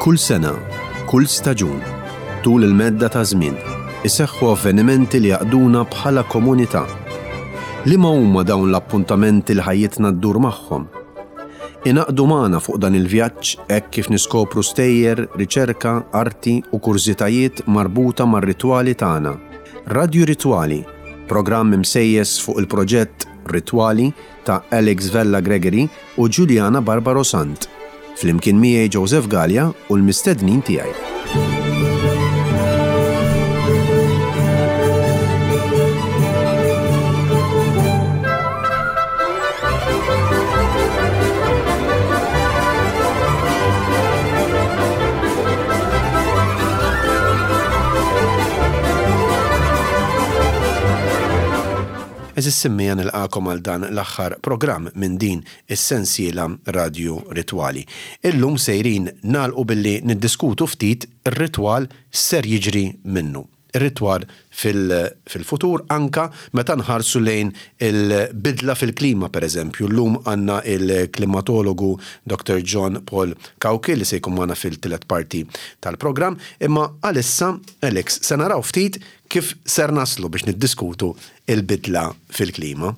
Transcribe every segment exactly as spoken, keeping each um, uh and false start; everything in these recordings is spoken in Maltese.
Kull sena, kull staġun, tul il-medda ta' żmien, iseħħu avvenimenti li jaqduna bħala komunità. Liema huma dawn l-appuntamenti li ħajjitna ddur magħhom? Ingħaqdu magħna fuq dan il-vjaġġ hekk kif niskopru stejjer, riċerka, arti u kurżitajiet marbuta mar-ritwali tagħna. Radju Ritwali, programm imsejjes fuq il-proġett Ritwali ta' Alex Vella Gregory u Giuliana Barbaro Sant. Flimkien miegħi Joseph Gallia u l-mistednin tiegħi. Għeżież semmiegħa, nilqagħkom għal dan l-aħħar programm minn din is-sensiela Radio Ritwali. Illum sejrin nagħlqu billi niddiskutu ftit ir-ritwal ser jiġri minnu. Ir-ritwal fil-futur anka meta nħarsu lejn il-bidla fil-klima, per eżempju. Llum għandna il-klimatologu Doctor John Paul Cauchi li se jkun magħna fil-tielet parti tal-programm. Imma għalissa, Alex, se naraw ftit kif ser naslu biex niddiskutu il-bidla fil-klima.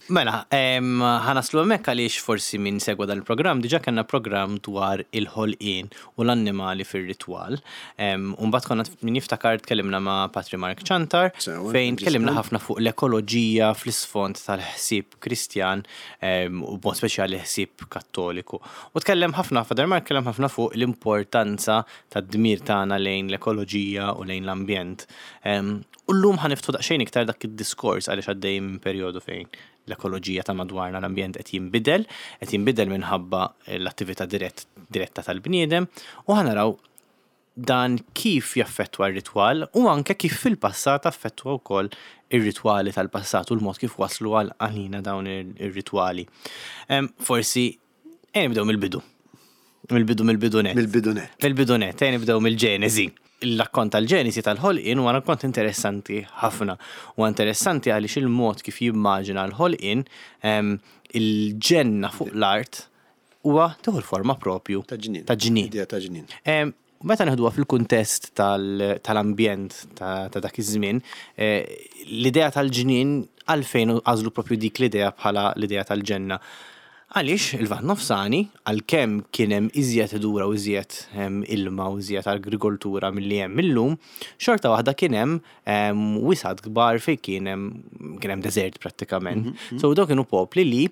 Mela, ħa naslu hemmhekk għaliex forsi min segwa dan il-programm, diġà kellna programm dwar il-ħolqien u l-annimali fir-ritwal. Umbagħad konna, min jiftakar, tkellimna ma' Patri Mark Ċantar fejn tkellimna ħafna fuq l-ekoloġija fl-isfond tal-ħsieb Kristjan u b'mod speċjali ħsieb Kattoliku. U tkellem ħafna, Father Mark kellem ħafna fuq l-importanza tad-dmir tagħna lejn l-ekoloġija u lejn l-ambjent. U llum ħa niftħu daqsxejn iktar dak id-diskors għaliex għaddej minn perjodu fejn l-ekoloġija ta' madwarna, l-ambjent qed jinbidel, qed jinbidel minħabba l-attività dirett, diretta tal-bniedem, u ħa naraw dan kif jaffettwa r-ritwal u anke kif fil-passat affettwa wkoll ir-ritwali tal-passat u l-mod kif waslu għal għalina dawn ir-ritwali. Forsi ejja nibdew mill-bidu. Mill-bidu, mill-bidu net. Mill-bidu net. Mill-bidu net, ejja nibdew mill-Ġenesi. Il-rakkont tal-Ġenesi tal-ħolqien huwa rakkont interessanti ħafna. Huwa interessanti għaliex il-mod kif jimmaġina l-ħolqien, il-ġenna fuq l-art, huwa tieħu l-forma propju ta' ġnien. Ta' ġnien. Idea ta' ġnien. Meta neħduha fil-kuntest tal-ambjent ta' dak iż-żmien, eh, l-idea tal-ġnien, għalfejn għażlu propju dik l-idea bħala l-idea tal-ġenna? Għaliex il-Lvant Nofsani, għalkemm kien hemm iżjed ħdura u iżjed ilma u iżjed agrikoltura milli hemm illum, xorta waħda kien hemm wisgħat kbar fejn kien hemm kien hemm deżert prattikament. Mhm, mhm. So dawk kienu popli li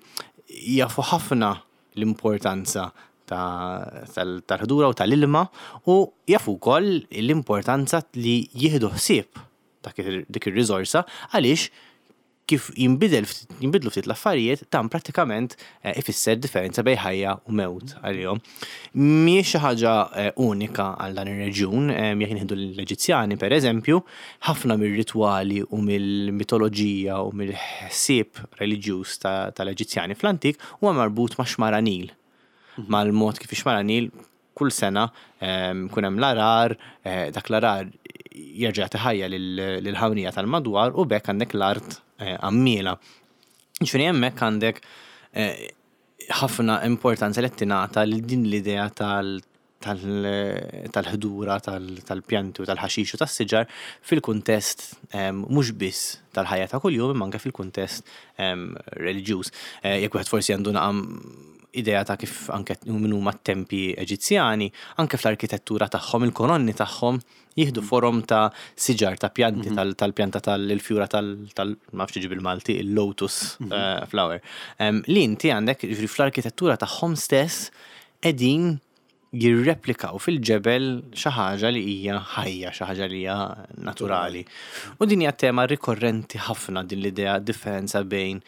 jafu ħafna l-importanza tal-ħdura u tal-ilma u jafu wkoll l-importanza li jieħdu ħsieb dik ir-riżorsa, għaliex kif jinbidel jinbidlu ftit l-affarijiet, dan prattikament eh, ifisser differenza bejn ħajja u mewt għalihom. Mhijiex xi ħaġa eh, unika għal dan ir-reġjun, eh, jekk nieħdu l-Eġizzjani, per eżempju, ħafna mir-ritwali u mill-mitoloġija u mill-ħsieb reliġjuż tal-Eġizzjani fl-antik huwa marbut ma' xmara Nil. Mhm. Mal-mod kif ix-xmara Nil kull sena kun hemm l-għarar, dak l-għarar jerġa' ħajja lill-ħamrija tal-madwar u b'hekk għandek l-art għammiela. Ġifieri hemmhekk għandek ħafna importanza li tingħata lil din l-idea tal-ħdura, tal-pjanti u tal-ħaxix u tas-siġar fil-kuntest mhux biss tal-ħajja ta' kuljum, imma anke fil-kuntest reliġjuż. Jekk wieħed forsi għandu naqra idea ta' kif anke min huma t-tempji Eġizzjani, anke fl-arkitettura tagħhom, il-kolonni tagħhom jieħdu forom ta' siġar, ta' pjanti, mhm. tal-pjanta tal-fjura tal, ma nafx bil-Malti, il-lotus mhm. eh, flower. Li inti għandek fl-arkitettura tagħhom stess qegħdin jirreplikaw fil-ġebel xi ħaġa li hija ħajja, xi ħaġa li hija naturali. U din hija tema rikorrenti ħafna, din l-idea, differenza bejn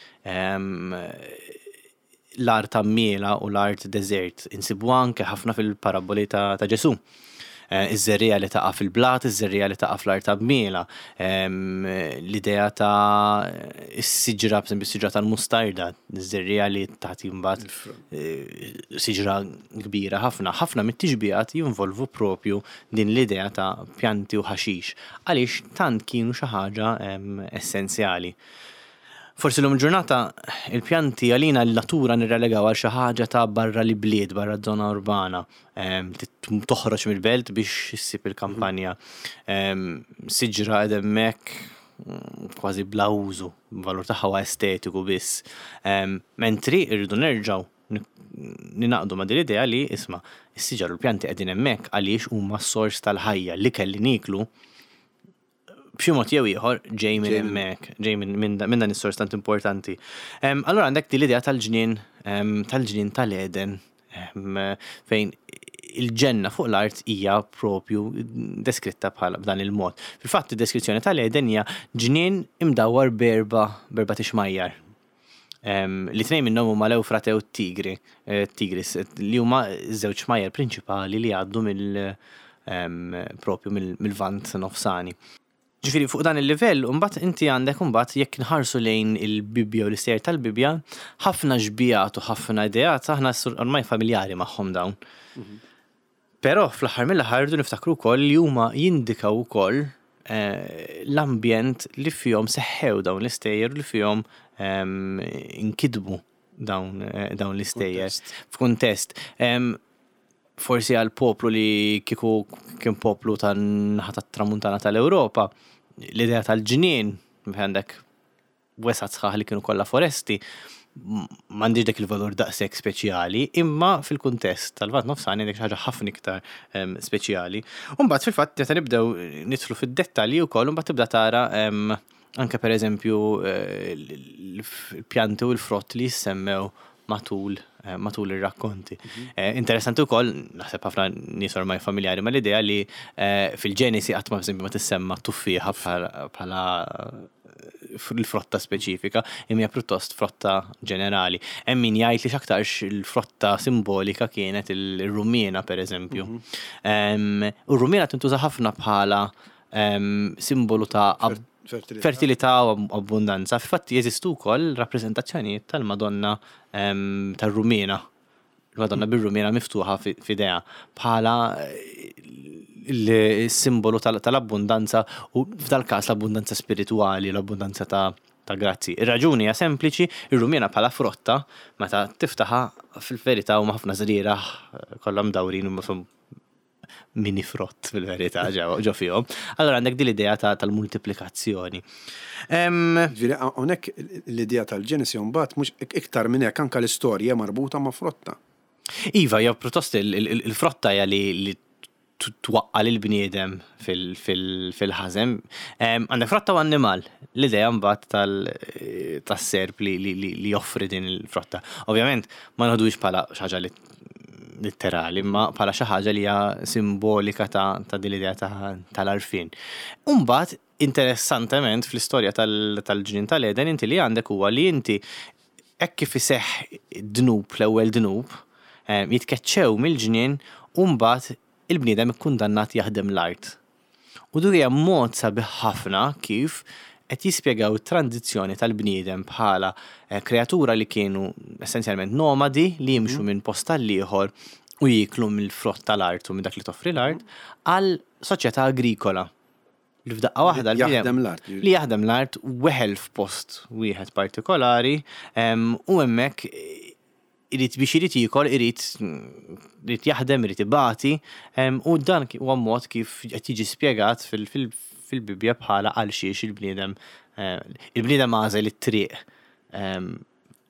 l-art għammiela u l-art desert. Insibu anke ħafna fil-paraboli ta', ta Ġesu. Eh, iż-żerriegħa li taqa' fil-blat, iż-żerriegħa li taqa' fl-art għammiela, l-idea ta' is-siġra, per siġra tal-mustarda, iż-żerriegħa li tagħti mbagħad eh, siġra kbira ħafna. Ħafna mit-tixbihat jinvolvu propju din l-idea ta' pjanti u ħaxix, għaliex tant kienu xi ħaġa essenzjali. Forsi l-lum ġurnata il-pjanti għalina l-natura nirrelegaw għal xi ħaġa ta' barra l-bliet, barra żona urbana. Em, tit- Toħroġ mill-belt biex issib il-kampanja. Em, Siġra hemmhekk mm, kważi bla użu, valur tagħha huwa estetiku biss. Em, Mentri irridu nerġgħu ninaqdu ma' din l-idea li isma' is-siġar u l-pjanti qegħdin hemmhekk għaliex huma s-sors tal-ħajja li kelli niklu b'xi mod jew ieħor ġej minn hemmhekk, ġej minn minn da- minn dan is-sors tant importanti. Em, Allura għandek din l-idea tal-ġnien em, tal-ġnien tal-Eden em, fejn il-ġenna fuq l-art hija propju deskritta bħala b'dan il-mod. Fil-fatt id-deskrizzjoni tal-Eden hija ġnien imdawwar b'erba' b'erba' tixmajjar. Em, li tnejn minnhom huma l-Ewfrate u t-Tigri, eh, Tigris, li huma żewġ xmajjar prinċipali li għaddu mill em, propju mill- mill-Lvant Nofsani. Ġifieri fuq dan il-livell, mbagħad inti għandek mbagħad jekk nħarsu lejn il-Bibbja u l-istejjer tal-Bibbja, ħafna xbihat u ħafna ideat aħna ormai familjari magħhom dawn. Però fl-aħħar mill-aħħar rridu niftakru wkoll li huma jindikaw ukoll eh, l-ambjent li fihom seħħew dawn l-istejjer u li fihom em, inkitbu dawn, eh, dawn l-istejjer. Kuntest. F'kuntest. Em, forsi għal poplu li kieku kien poplu tan-naħa tat-tramuntana tal-Ewropa, l-idea tal-ġnien, fejn għandek wesgħat sħaħ li kienu kollha foresti, m- m'għandix dak il-valur daqshekk speċjali, imma fil-kuntest tal-Lvant Nofsani għandek xi ħaġa ħafna iktar em, speċjali. U mbagħad fil-fatt meta nibdew nidħlu fid-dettalji wkoll, mbagħad tibda tara em, anke per eżempju eh, l-pjanti u l-frott li jissemmew matul eh, matul ir-rakkonti. Eh, Interessanti wkoll, naħseb ħafna nies ormai familjari mal-idea li eh, fil-Ġenesi qatt ma eżempju ma tissemma tuffieħa bħala bħala l-frotta speċifika, imma hija pjuttost frotta ġenerali. Hemm min jgħid li x'aktarx il-frotta simbolika kienet il-rummina per eżempju. Em, U r-rummina tintuża ħafna bħala em, simbolu ta' ab- Fertilità. fertilità u ab- abbundanza. Fil-fatt jeżistu wkoll rappreżentazzjonijiet tal-Madonna em, tar-Rumina. Il-Madonna bir-Rumina miftuħa fi- f'idejha bħala eh, il-simbolu tal- tal-abbundanza u f'dal każ l-abbundanza spirituali, l-abbundanza ta' ta' grazzi. Ir-raġuni hija sempliċi, ir-rumina bħala frotta meta tiftaħa fil-verità huma ħafna żrieragħ kollha mdawrin u ma mini frott fil-verità ġew ġo fihom. Allora għandek din l-idea ta' tal-multiplikazzjoni. Em, Ġifieri hawnhekk l-idea tal-Ġenesi mbagħad mhux iktar minn hekk anke l-istorja marbuta ma' frotta. Iva, jew pjuttost il- il- il-frotta hija li li t- twaqqa lil bniedem fil-ħażen. Għandek frotta u annimal. L-idea mbagħad tal- tas-serp li, li, li, li joffri din il-frotta. Ovvjament ma noħdux bħala xi ħaġa li litterali, imma bħala xi ħaġa li hija simbolika ta', ta' din l-idea ta' tal-għarfien. Umbagħad, interessantement, fl-istorja tal- tal-ġnien tal-Eden, inti li għandek huwa li inti hekk kif iseħħ dnub, l-ewwel dnub, eh, jitkeċċew mill-ġnien u mbagħad il-bniedem ikkundannat jaħdem l-art. U dik hija mod sabiħ ħafna kif qed jispjegaw it-tranzizzjoni tal-bniedem bħala eh, kreatura li kienu essenzjalment nomadi li jimxu minn post għal ieħor u jiklu mill-frott tal-art u minn dak li toffri l-art għal soċjetà agrikola. Li f'daqqa waħda l-bniedem- Jaħdem l-art. Li jaħdem l-art weħel f'post wieħed partikolari em, u hemmhekk irid biex irid jiekol, irid irid jaħdem, irid ibati, em, u dan ki- huwa mod kif qed jiġi spjegat fil- fil- fil-Bibbja bħala għal xiex il-bniedem eh, il-bniedem għażel it-triq em,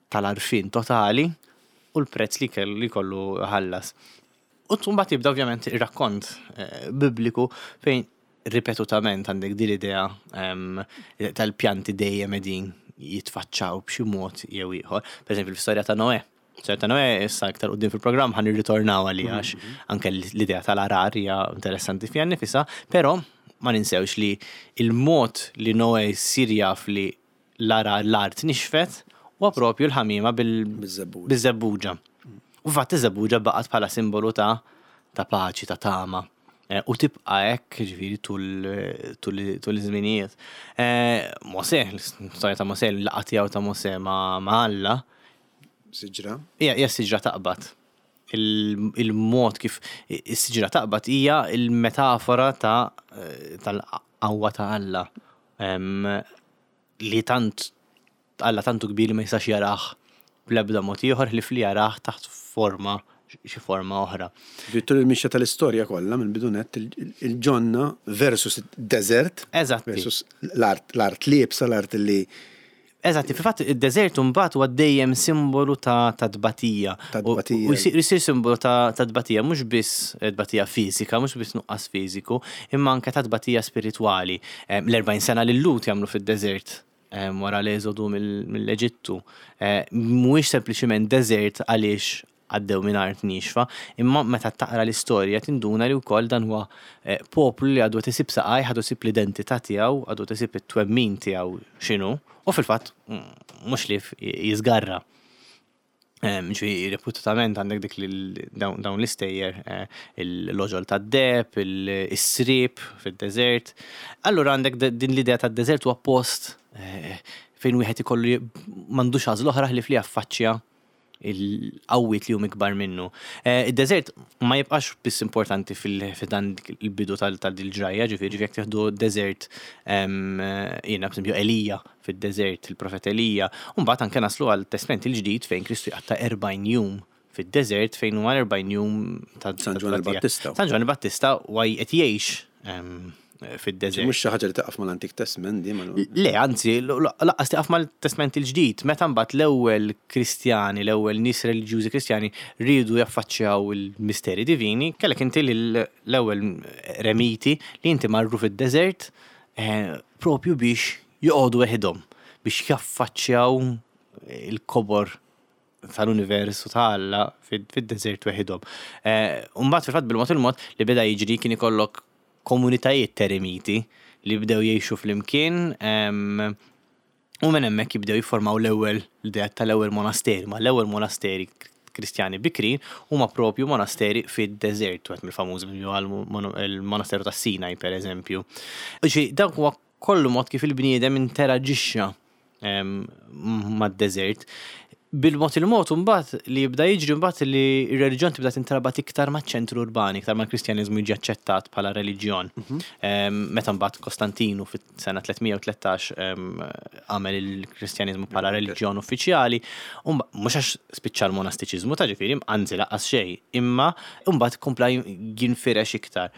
tal-għarfien totali u l-prezz li kellu li kollu ħallas. U mbagħad jibda ovvjament ir-rakkont eh, bibliku fejn ripetutament għandek din l-idea em, tal-pjanti dejjem qegħdin jitfaċċaw b'xi mod jew ieħor. Per eżempju, l-istorja ta' Noè. Storja ta' Noè issa aktar quddiem fil-programm ħa nirritornaw għalija għax anke l-idea tal-għargħar hija interessanti fiha nnifisha, però ma ninsewx li il-mod li Noè jsir jaf li l-għargħar l-art nixfet huwa propju l-ħamima bil- Biż-żebbuġa. biż-żebbuġa. U fatt iż-żebbuġa baqgħet bħala simbolu ta' ta' paċi, ta' tama. Eh, U tibqa' hekk ġifieri tul tul tul iż-żminijiet. Eh, Mosè, l-istorja ta' Mosè, l-laqgħa tiegħu ta' Mosè ma' ma' Alla, Siġra. hija hija siġra taqbad. Il- Il-mod kif is-siġra taqbad hija il-metafora ta' tal-qawwa ta' Alla. Em, li tant Alla tantu kbir li ma jistax jarah bl-ebda mod ieħor ħlief li jarah taħt forma, xi forma oħra. Vittur il-mixja tal-istorja kollha minn bidunet il-ġonna versus desert. Eżatti. Versus l-art, l-art liebsa, l-art li Eżatti, fil-fatt id-deżert mbagħad huwa dejjem simbolu ta' ta' tbatija. Ta' tbatija. U jsir simbolu ta' ta' tbatija, mhux biss tbatija fiżika, mhux biss nuqqas fiżiku, imma anke ta' tbatija spiritwali. L-erbgħin sena li l-Lut jagħmlu fid-deżert wara l-eżodu mill-Eġittu. Mhuwiex sempliċiment deżert għaliex għaddew minn art nixfa, imma meta taqra l-istorja tinduna li wkoll dan huwa poplu li għadu tisib saqaj, għadu sib l-identità tiegħu, għadu tisib it-twemmin tiegħu x'inhu, u fil-fatt mhux li jiżgarra. Ġifieri reputatament għandek dik dawn l-istejjer, il-loġol tad-deheb, is-srib fid-deżert. Allura għandek din l-idea tad-deżert huwa post fejn wieħed ikollu m'għandux għażla oħra ħlief li jaffaċċja il-qawwiet li hum ikbar minnu. Id-deżert ma jibqax biss importanti fil-dan il-bidu tal-ġrajja, ġifieri jekk tieħdu deżert, jiena b'eżempju Elija fid-deżert, il-profet Elija, u mbagħad anke naslu għal Testament il-ġdid fejn Kristu jqatta' erbgħin jum fid-deżert, fejn huma erbgħin jum ta' San Ġwann il-Battista. San Ġwann il-Battista huwa qed jgħix fid-deżert. Mhux xi ħaġa li taqaf mal-Antik Testament di mal- Le, anzi, laqqas taqaf mal-Testament il-ġdid. Meta mbagħad l-ewwel Kristjani, l-ewwel nies reliġjużi Kristjani riedu jaffaċċjaw il-misteri divini, kellek inti l-ewwel remiti li inti marru fid-deżert propju biex joqogħdu weħidhom, biex jaffaċċjaw il-kobor tal-univers u ta' Alla fid-deżert weħidhom. U mbagħad fil-fatt bil-mod il-mod li beda jiġri kien ikollok komunitajiet teremiti li bdew jgħixu flimkien, u minn hemmhekk jibdew jiffurmaw l-ewwel l-idea tal-ewwel monasteri, ma l-ewwel monasteri Kristjani bikrin huma propju monasteri fid-deżert, wieħed mill-famużi il-monasteru tas Sinaj per eżempju. Ġifieri dak huwa kollu mod kif il-bniedem interaġixxa mad-deżert. Bil-mod il-mod mbagħad li jibda jiġri mbagħad li r-reliġjon tibda tintrabat iktar maċ-ċentru urbani, iktar mal-Kristjaniżmu jiġi aċċettat bħala reliġjon. Meta mbagħad Kostantinu fis-sena tliet mija u tlettax għamel il-Kristjaniżmu bħala reliġjon uffiċjali, mhux għax spiċċa l-monastiċiżmu ta' ġifieri, anzi laqqas xejn, imma mbagħad kompla jinfirex iktar.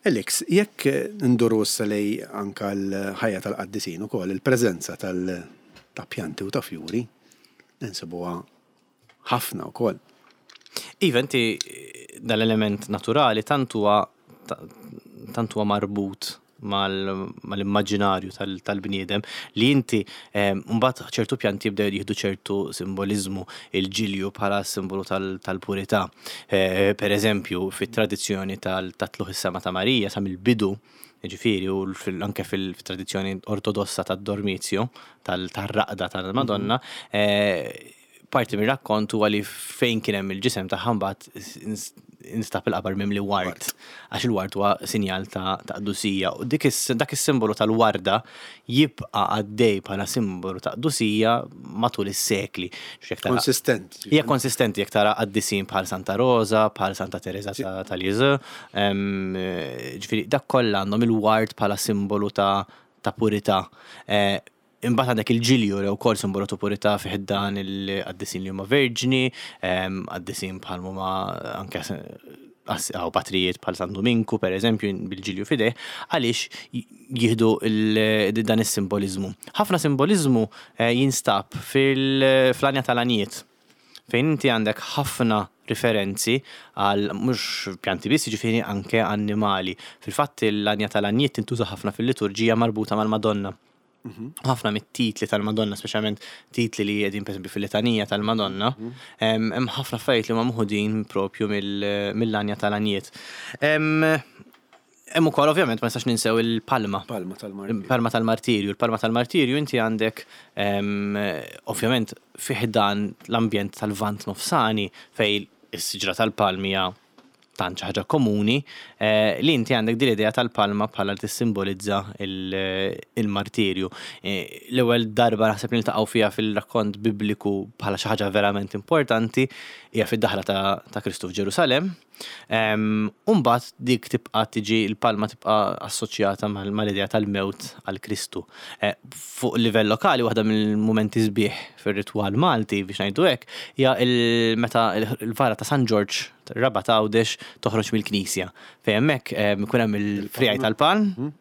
Alex, jekk nduru issa lej anka l-ħajja tal-qaddisin ukoll, il-preżenza tal- ta' pjanti u ta' fjuri, nsibuha ħafna wkoll. Iva, inti dal-element naturali tant huwa tant huwa marbut mal-immaġinarju tal-bniedem li inti mbagħad ċertu pjanti jibdew jieħdu ċertu simboliżmu, il-ġilju bħala simbolu tal-purità. Per eżempju, fit-tradizzjoni tal-tlugħ is-sema ta' Marija sa mill-bidu, ġifieri, u anke fil-tradizzjoni ortodossa tad-dormizio, tal-raqda tal-Madonna, parti mir-rakkont huwa li fejn kien hemm il-ġisem tagħha mbagħad instab il-qabar mimli ward, għax il-ward huwa sinjal ta' qdusija. U dik dak is-simbolu tal-warda jibqa' għaddej bħala simbolu ta' qdusija matul is-sekli. Konsistenti. Hija konsistenti jekk tara qaddisin bħal Santa Rosa, bħal Santa Teresa ta' Lisieux, ġifieri dak kollha għandhom il-ward bħala simbolu ta' purità. Imbagħad għandek il-ġilju li wkoll simbolu ta' purità fih dan il-qaddisin li huma verġni, qaddisin bħal huma anke għaw patrijiet bħal San Dominku per eżempju bil-ġilju fideh, għaliex jieħdu dan is-simboliżmu. Ħafna simboliżmu jinstab fil-flanja tal-għanijiet, fejn inti għandek ħafna riferenzi għal mhux pjanti biss, jiġifieri anke annimali. Fil-fatt l-għanja tal-għanijiet tintuża ħafna fil-liturġija marbuta mal-Madonna. Ħafna mit-titli tal-Madonna, speċjalment titli li qegħdin pereżempju fil-litanija tal-Madonna, hemm ħafna affarijiet li huma mħudin propju mill-għanja tal-għanijiet. Hemm ukoll ovvjament ma nistax ninsew il-palma. Palma tal-martirju. Palma tal-martirju. Il-palma tal-martirju inti għandek ovvjament fih dan l-ambjent tal-Lvant Nofsani fej is-siġra tal-palmi hija tant xi ħaġa komuni, eh, li inti għandek din l-idea tal-palma bħala li tissimbolizza il- il-martirju. Eh, L-ewwel darba naħseb li niltaqgħu fiha fil-rakkont bibliku bħala xi ħaġa verament importanti hija fid-daħla ta', ta' Kristu f'Ġerusalemm. Um, Umbagħad dik tibqa' tiġi il-palma tibqa' assoċjata mal- mal-idea tal-mewt għal Kristu. Eh, Fuq livell lokali, waħda mill-mumenti sbieħ fir-ritwal Malti, biex ngħidu hekk, hija il- meta il-vara ta' San Ġorġ Rabat Għawdex toħroġ mill-knisja. Fejn hemmhekk eh, ikun hemm il-friegħi tal-palm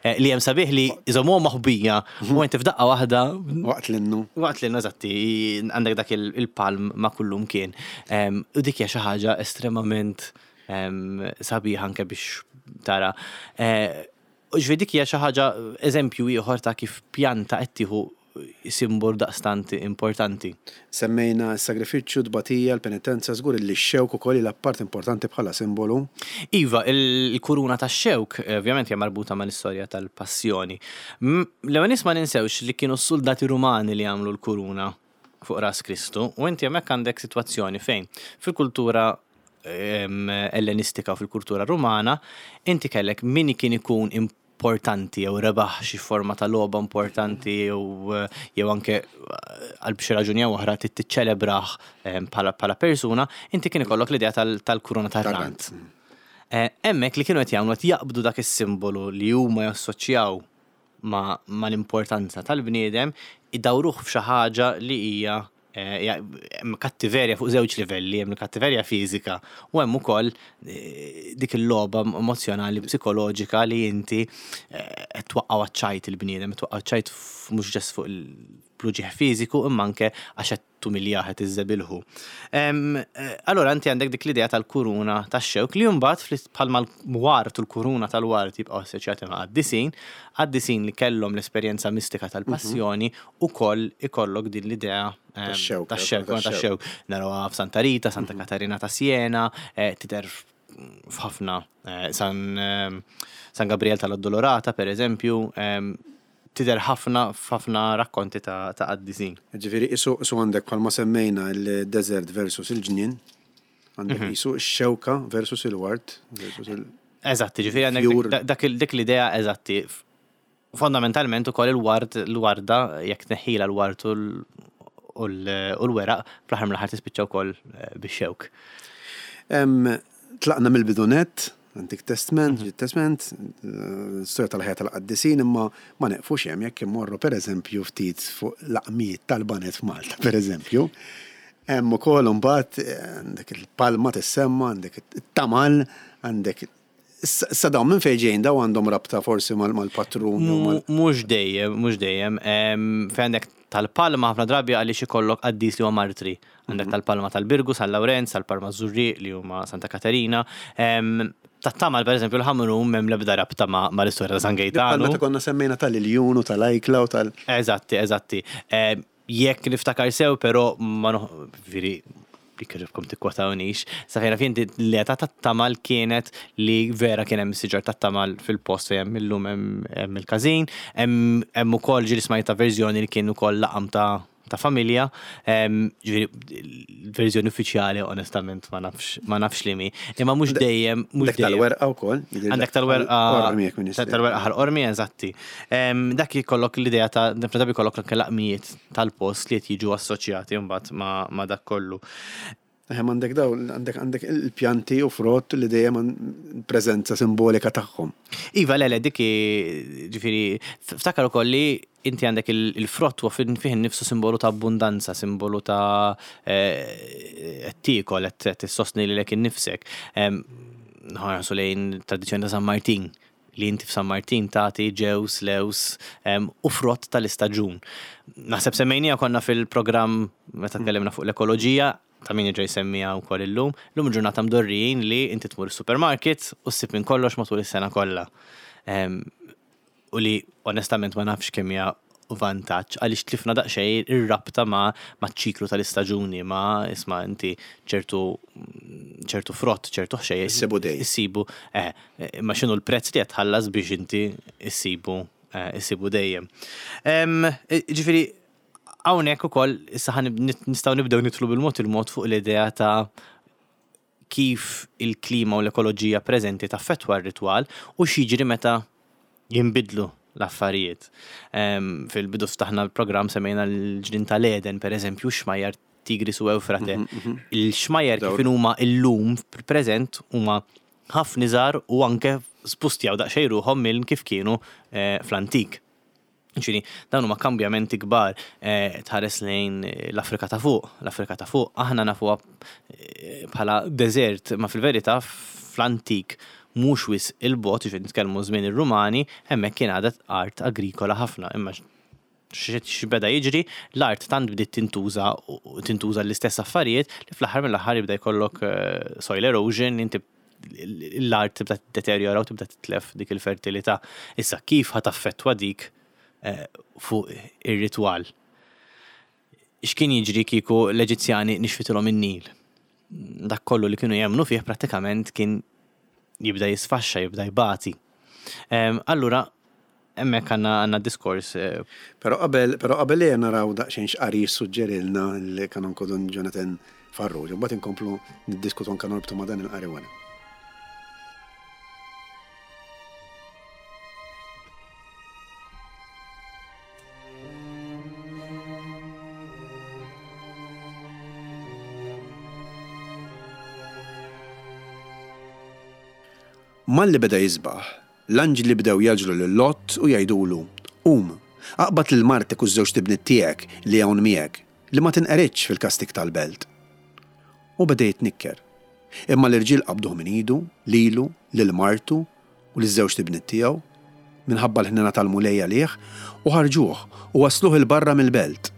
eh, li hemm sabiħ li iżommuhom maħbija u inti f'daqqa waħda Waqt l-innu. Waqt li eżatti, għandek dak il- il-palm ma' kullum kien. Em, U dik hija xi ħaġa estremament em, sabiħa anke biex tara. Eh, U ġifieri dik hija xi ħaġa, eżempju ieħor ta' kif pjanta qed tieħu simbol daqstant importanti. Semmejna s-sagrifiċċju, tbatija, l-penitenza, żgur li x-xewk ukoll jilgħab part importanti bħala simbolu. Iva, il- il-kuruna ta' xewk, eh, ovvjament, hija marbuta mal-istorja tal-passjoni. M- L-ewwel nies ma ninsewx li kienu s-soldati Rumani li għamlu l-kuruna fuq ras Kristu, u inti hemmhekk għandek sitwazzjoni fejn fil-kultura em, ellenistika u fil-kultura Rumana, inti kellek min kien ikun importanti jew rebaħ xi forma ta' logħba importanti jew jew anke għal xi raġuni jew oħra trid tiċċelebrah em, bħala bħala persuna, inti kien ikollok l-idea tal- tal-kuruna tar-rant. Eh, Hemmhekk li kienu qed jagħmlu, qed jaqbdu dak is-simbolu li huma jassoċjaw ma, ma l-importanza tal-bniedem, idawruh f'xi ħaġa li hija eh, hija- hemm kattiverja fuq żewġ livelli, hemm il-kattiverja fiżika u hemm ukoll eh, dik il-logħba emozjonali, psikoloġika li inti eh, qed twaqqgħu għaċ-ċajt il-bniedem, qed twaqqgħu ċajt mhux ġest fuq il-pluġieħ fiżiku imma anke għax qed tumiljah, qed iżżebilħu. Em, eh, Allora inti għandek dik l-idea tal-kuruna tax-xewk li mbagħad fl- bħalma l-wart u l-kuruna tal-wart jibqgħu assoċjati ma' qaddisin, qaddisin li kellhom l-esperjenza mistika tal-passjoni, ukoll ikollok din l-idea em, Tax-xewk, tax-xewk, tax-xewk. tax-xewk. Narawha f'Santa Rita, Santa Katarina ta' Siena, eh, tidher f'ħafna eh, San em, San Gabriel tal-Addolorata, per eżempju, em, tidher ħafna f'ħafna rakkonti ta' ta' qaddisin. Ġifieri, isu isu għandek bħalma semmejna il-desert versus il-ġnien, għandek isu x-xewka versus il-wart versus il- Eżatti, ġifieri għandek Fjur. dak- dak il- dik l-idea eżatti. Fondamentalment ukoll il-ward, l-warda, jekk tneħħila l-ward u l- u l- u l-weraq, fl-aħħar mill-aħħar tispiċċa wkoll eh, bix-xewk. Em, Tlaqna mill-bidu nett, Antik Testament, Ġdid Testament, eh, storja tal-ħajja tal-qaddisin, imma ma neqfux hemm. Jekk immorru, pereżempju, ftit fuq laqmijiet tal-baned f'Malta, pereżempju. Hemm ukoll imbagħad eh, għandek il-palma tissemma, għandek it-tamal, għandek. Issa dawn minn fejn ġejjin? Dawn għandhom rabta forsi mal- mal-patrun jew mal- Mhux dejjem, mhux dejjem. Em, Fejn għandek tal-palma, ħafna drabi għaliex ikollok qaddis li huwa martri. Għandek tal-palma tal-Birgu, San Lawrenz, tal-Palma Żurrieq li huma Santa Katerina. Em, Tat-tamal, per eżempju, l-Ħamrun m'hemm l-ebda rabta ma' ma' l-istorja ta' San Bħal Gejtanu. meta konna semmejna tal-iljun u tal-ajkla u tal- Eżatti, eżatti. Eh, Jekk niftakar sew, però ma noħ, veri, li kħiribkom tikkwotawniex. Sa fejn naf jien, l-età tat-tamal kienet li vera kien hemm siġar tat-tamal fil-post fejn hemm illum hemm hemm il-każin, hemm hemm ukoll ġieli smajta verżjoni li kien ukoll laqam ta' ta' familja, em, ġifieri l-verżjoni uffiċjali onestament ma nafx ma nafx li mi. Imma mhux dejjem, mhux Għandek dejjem. tal-werqa wkoll. Għandek tal-werqa. Qormi, jekk minn Tal-werqa Ħal Qormi, eżatti. Em, Dak jkollok l-idea ta' drabi jkollok anke laqmijiet tal-post li qed jiġu assoċjati mbagħad ma' ma' dak kollu. Eħem, għandek daw, għandek għandek il-pjanti u frott li dejjem għan- preżenza simbolika tagħhom. Iva, le, le, dik hi- ġifieri, ftakar ukoll li inti għandek il- il-frott huwa fin- fih innifsu simbolu ta' abbundanza, simbolu ta' eh, qed tiekol, qed tissostni lilek innifsek. Em, Nħarsu lejn tradizzjoni ta' San Martin, li inti f'San Martin tagħti ġews, lews em, u frott tal-istaġun. Naħseb semmejnija konna fil-programm meta tkellimna fuq l-ekoloġija, ta' min ġej semmija wkoll illum. Illum ġurnata mdorrijin li inti tmur is-supermarket u ssib minn kollox matul is-sena kollha. Em, U li onestament ma nafx kemm hija vantaġġ għaliex tlifna daqsxejn ir-rabta ma' ma' ċiklu tal-istaġuni, ma' isma' inti ċertu ċertu frott, ċertu ħxejjex. Issibu dejjem. Issibu, eh, ma x'inhu l-prezz li qed tħallas biex inti issibu eh, issibu dejjem. Em, Ġifieri hawnhekk ukoll issa ħa nib- nistgħu nibdew nidħlu bil-mod il-mod fuq l-idea ta' Kif il-klima u l-ekoloġija preżenti taffettwa r-ritwal u x'jiġri meta jinbidlu l-affarijiet. Em, Fil-bidu ftaħna l-programm, semmejna l-ġnien tal-Eden, per eżempju, xmajjar Tigris u Ewfrate. Il-xmajjar kif huma illum fil-preżent huma ħafna iżgħar u anke spustjaw daqsxejn ruħhom minn kif kienu eh, fl-antik. Ġifieri, dawn huma kambjamenti kbar. eh, tħares lejn l-Afrika ta' fuq. L-Afrika ta' fuq aħna nafuha eh, bħala desert, ma fil-verità fl-antik, mhux wisq 'il bogħod, ġifieri nitkellmu żmien ir-Rumani, hemmhekk kien għadha art agrikola ħafna. Imma x'beda jiġri? L-art tant bdiet tintuża u tintuża l-istess affarijiet li fl-aħħar mill-aħħar jibda jkollok eh, soil erosion, inti l-art tibda tiddeterjora u tibda titlef dik il-fertilità. Issa, kif ħa taffettwa dik eh, fuq ir-ritwal? X'kien jiġri kieku l-Eġizzjani nixfitilhom in-Nil? Dak kollu li kienu jemmnu fih prattikament kien jibda jisfaxxa, jibda jbati. Em, Allura, hemmhekk għandna għandna diskors eh, Pero qabel, pero qabel li naraw daqsxejn x'qari jissuġġerilna l-Kanonku Dun Jonathan Farrugia, mbagħad inkomplu niddiskutu anke norbtu ma' dan il-qari wara. Malli beda jisbaħ, l-anġli bdew jgħaġġlu lil Lot u jgħidulu: "Qum, aqbad lil martek u ż-żewġt ibniet tiegħek li hawn miegħek, li ma tinqeridx fil-kastig tal-belt." U beda jitnikker. Imma l-irġiel qabduh minn idu, lilu, lil martu u liż-żewġt ibniet tiegħu, minħabba l-ħnina tal-Mulej għalih, u ħarġuh u wasluh 'il barra mill-belt.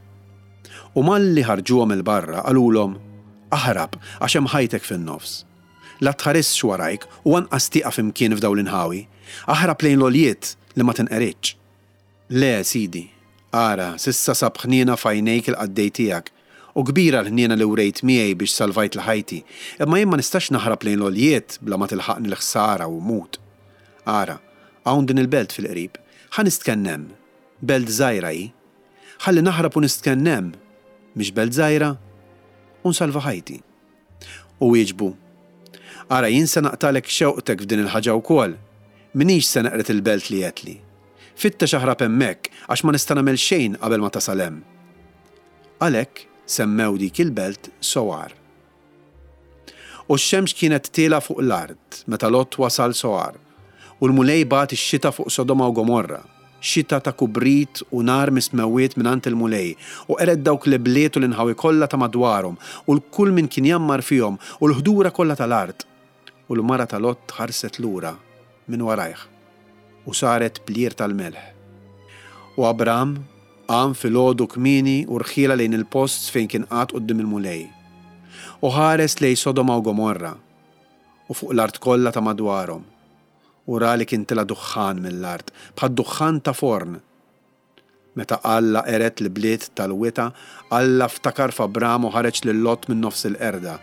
U malli ħarġuhom 'il barra qalulhom: "Aħrab, għax hemm ħajtek fin-nofs. La tħarisx warajk u anqas tieqaf imkien f'dawn l-inħawi. Aħrab lejn l-għoljiet li ma tinqeridx." "Le, sidi, ara, s'issa sab ħniena f'għajnejk il-qaddej tiegħek, u kbira l-ħniena li wrejt miegħi biex salvajt ħajti, imma jien ma nistax naħrab lejn l-għoljiet bla ma tilħaqni l-ħsara u mmut. Ara, hawn din il-belt fil-qrib, ħa nistkenn hemm, belt żgħira hi. Ħalli naħrab u nistkenn hemm, mhix belt żgħira, u nsalva ħajti." U wieġbu: "Ara, jien se naqtalek xewqtek f'din il-ħaġa wkoll, m'iniex se neqred il-belt li għedtli. Fittex aħrab hemmhekk, għax ma nista' nagħmel xejn qabel ma tasal hemm." Għalhekk semmew dik il-belt Soar. U x-xemx kienet tielgħa fuq l-art meta Lot wasal Soar, u l-Mulej bagħat ix-xita fuq Sodoma u Gomorra, xita ta' kubrit u nar mis-smewwiet mingħand il-Mulej, u qered dawk l-ibliet u l-inħawi kollha ta' madwarhom, u l-kull min kien jammar fihom, u l-ħdura kollha tal-art. U l-mara ta' Lot ħarset lura minn warajh u saret plier tal-melħ. U Abram qam filgħodu kmieni u rħielha lejn il-post fejn kien qagħad quddiem il-Mulej. U ħares lejn Sodoma u Gomorra u fuq l-art kollha ta' madwarhom. U ra li kien tela' duħħan mill-art, bħad duħħan ta' forn. Meta Alla qered l-bliet tal-wita, Alla ftakar f'Abram u ħareġ lil Lot minn nofs il-qerda,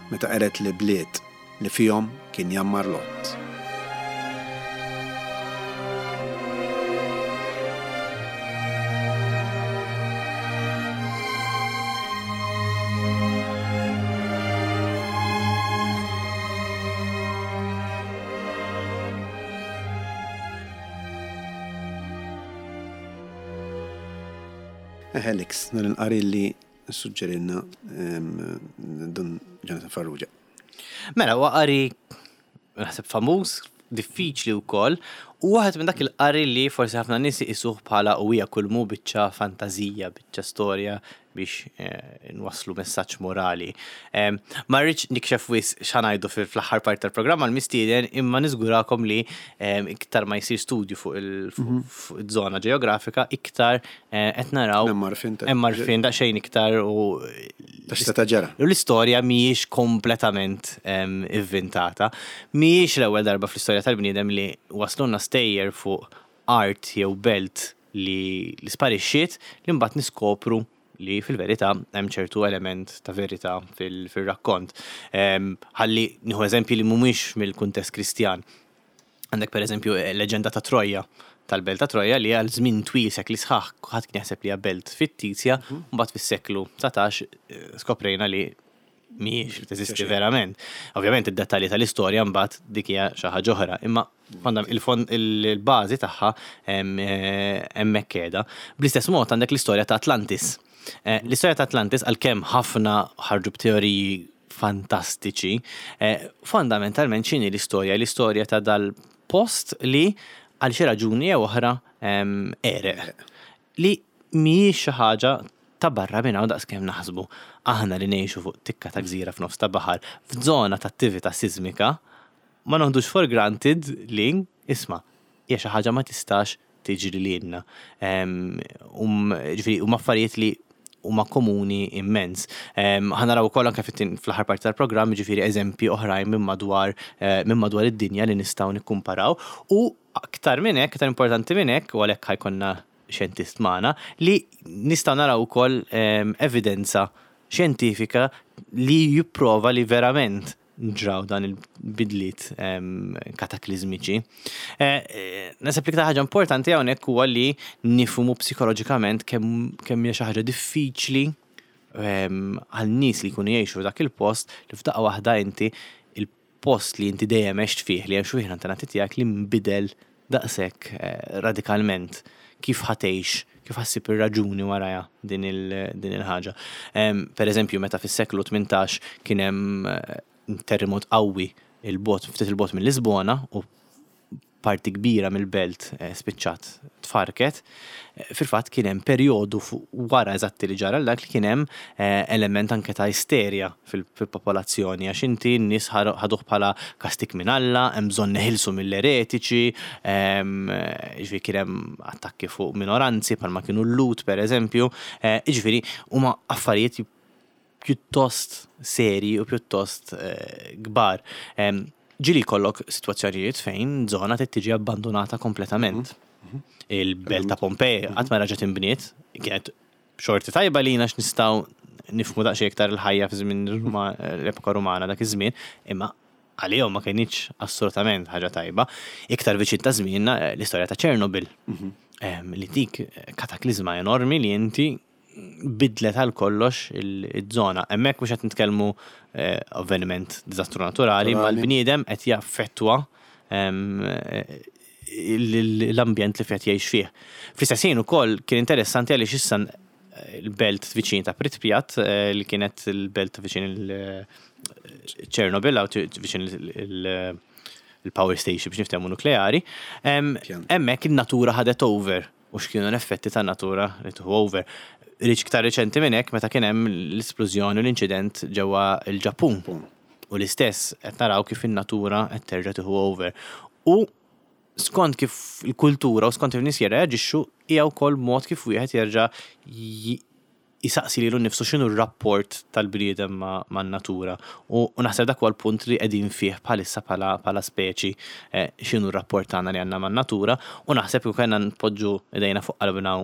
meta qered l-bliet li fihom kien jammar Lot. Helix, dan il-qari li suġġerilna Dun Jonathan Farrugia. Mela, huwa qari naħseb famuż, diffiċli wkoll, u waħed minn dak il-qari li forsi ħafna nies iqisuh bħala u hija kulmu biċċa fantażija, biċċa storja biex eh, nwasslu messaġġ morali. Em, Ma rridx nikxef wisq x'ħa ngħidu fil-aħħar part tal-programm għal-mistieden, imma niżgurakom li em, iktar ma jsir studju fuq il- fuq fuq iż-żona ġeografika, iktar eh, qed naraw Hemm għarfien ta' hemm għarfien daqsxejn iktar u Ta' x'seta' ġara. U l-istorja mhijiex kompletament em, ivvintata. Mhijiex l-ewwel darba fl-istorja tal-bniedem li waslunna stejjer fuq art jew belt li, li sparixxiet, li mbagħad niskopru li fil-verità hemm ċertu element ta' verità fil- fil-rakkont. Em, Ħalli nieħu eżempji li mhumiex mill-kuntest Kristjan. Għandek per eżempju leġenda ta' Troja, tal-belt ta' Troja, li għal żmien twil, sekli sħaħ, ħadd kien jaħseb li hija belt fittizja, u mbagħad fis-seklu dsatax eh, skoprejna li mhijiex teżisti verament. Ovvjament id-dettalji tal-istorja mbagħad dik hija xi ħaġa oħra, imma il-bażi tagħha hemmhekk qiegħda. Bl-istess mod għandek l-istorja ta' Atlantis. L-istorja ta' Atlantis, għalkemm ħafna ħarġu b'teoriji fantastiċi, fondamentalment x'inhi l-istorja? L-istorja ta' dal-post li għal xi raġuni jew oħra għereq. Li mhijiex xi ħaġa ta' barra minn hawn daqskemm naħsbu. Aħna li ngħixu fuq tikka ta' gżira f'nofs ta' baħar, f'żona ta' attività sismika, ma noħdux for granted li, isma', hija xi ħaġa ma tistax tiġri lilna. Ġifieri huma affarijiet li huma komuni immens. Ħa naraw ukoll anke fl-aħħar parti tal-programm, ġifieri eżempji oħrajn minn madwar minn madwar id-dinja li nistgħu nikkumparaw, u aktar minn hekk, aktar importanti minn hekk, u għalhekk ħa jkollna xjentist magħna, li nistgħu naraw ukoll evidenza xjentifika li jipprova li verament ġraw dan il-bidliet kataklizmiċi. Naħseb li iktar ħaġa importanti hawnhekk huwa li nifhmu psikoloġikament kemm kemm hija xi ħaġa diffiċli għal nies li jkunu jgħixu dak il-post, li f'daqqa waħda inti il-post li inti dejjem għext fih, li hemm xi wieħed antenati tiegħek li nbidel daqshekk radikalment. Kif ħa tgħix, kif ħa ssib ir-raġuni warajha din il-ħaġa. Per eżempju, meta fis-seklu tmintax kien hemm terremot qawwi il-bot, ftit il-bot minn Lisbona, u parti kbira mill-belt spiċċat tfarket, fil-fatt kien hemm perjodu wara eżatti li ġara dak li kien hemm element anke ta' isterja fil-popolazzjoni, għax inti n-nies ħaduh bħala kastik minn Alla, hemm bżonn neħilsu mill-eretiċi, ġifieri kien hemm attakki fuq minoranzi bħalma kienu l-Lut pereżempju, jiġifieri huma affarijiet pjuttost seri u pjuttost kbar. Ġieli jkollok sitwazzjonijiet fejn żona trid tiġi abbandonata kompletament. Il-belt ta' Pompej qatt ma reġgħet inbniet, kienet xorti tajba lina x'nistgħu nifhmu daqsxejn iktar il-ħajja fi żmien l-epoka Rumana dak iż-żmien, imma għalihom ma kienx assolutament ħaġa tajba. Iktar viċin ta' żmienna l-istorja ta' Chernobyl, li dik kataklizma enormi li inti bidlet għal kollox il-żona. Hemmhekk mhux qed nitkellmu avveniment diżastru naturali, ma l-bniedem qed jaffettwa l-ambjent li qed jgħix fih. Fl-istess ħin ukoll kien interessanti għaliex issa l-belt viċin ta' Pripyat, li kienet il-belt viċin il-Chernobyl, viċin il-power station biex niftehmu nukleari, hemmhekk in-natura ħadet over, u x'kienu l-effetti tan-natura li tieħu over. Iktar reċenti minn hekk meta kien hemm l-isplużjoni u l-inċident ġewwa l-Ġappun. U l-istess qed naraw kif in-natura qed terġa' tieħu over. U skont kif il-kultura u skont kif nies jirreaġixxu hija wkoll mod kif wieħed jerġa' jisaqsi lilu nnifsu x'inhu r-rapport tal-bniedem man-natura. U naħseb dak huwa l-punt li qegħdin fih bħalissa bħala speċi, x'inhu r-rapport tagħna li għandna man-natura, u naħseb kieku kellna npoġġu idejna fuq qalbna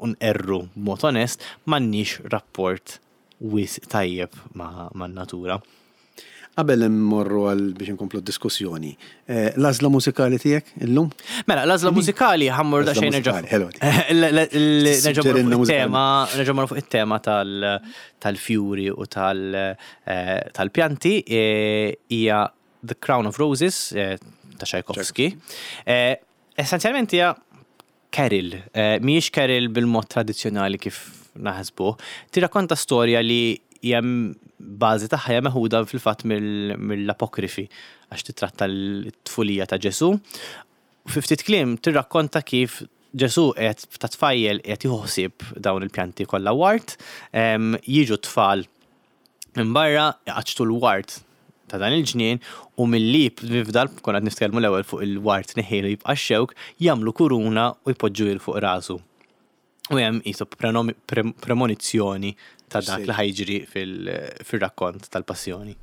u nqerru b'mod onest, m'għandniex rapport wisq tajjeb man-natura. Qabel immorru għal biex inkomplu d-diskussjoni, l-għażla mużikali tiegħek illum? Mela, l-għażla mużikali ħa mmur daqsxejn nerġa'. Nerġa' mmorru fuq it-tema tal-fjuri u tal-pjanti, hija The Crown of Roses ta' Tchaikovsky. Essenzjalment hija carol, mhijiex carol bil-mod tradizzjonali kif naħsbuh. Tirrakkonta storja li hija bażi tagħha hija meħuda fil-fatt mill-apokrifi għax titratta l-tfulija ta' Ġesu. Fi ftit kliem tirrakkonta kif Ġesu qed ta' tfajjel qed jieħu ħsieb dawn il-pjanti kollha wart, jiġu tfal minn barra jqaċċtu l-wart ta' dan il-ġnien u milli fdal, konna qed nitkellmu l-ewwel fuq il-wart neħielu jibqa' x-xewk, jagħmlu kuruna u jpoġġu il fuq rasu. U hemm qisu premonizzjoni ta' dak li ħajġri fil-rakkont tal-passjoni.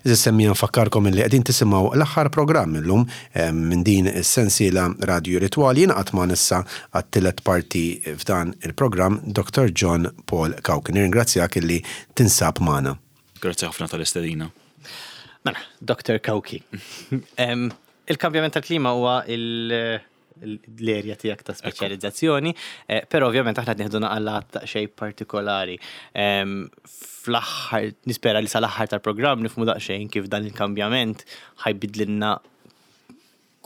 Għeżież semmiegħa, nfakkarkom li qegħdin tisimgħu l-aħħar programm illum eh, minn din is-sensiela Radio Ritwali. Jingħaqad magħna issa għat-tielet parti f'dan il-programm Doctor John Paul Cauchi. Nirringrazzjak illi tinsab magħna. Grazzi ħafna tal-istedina. Mela, Doctor Cauchi. Em, Il-kambjament tal-klima huwa il- l-erja tiegħek ta' speċjalizzazzjoni, eh, però ovvjament aħna nieħdu naqra daqsxejn partikolari. Em, Fl-aħħar, nispera li sal-aħħar tal-programm nifhmu daqsxejn kif dan il-kambjament ħa jbiddlilna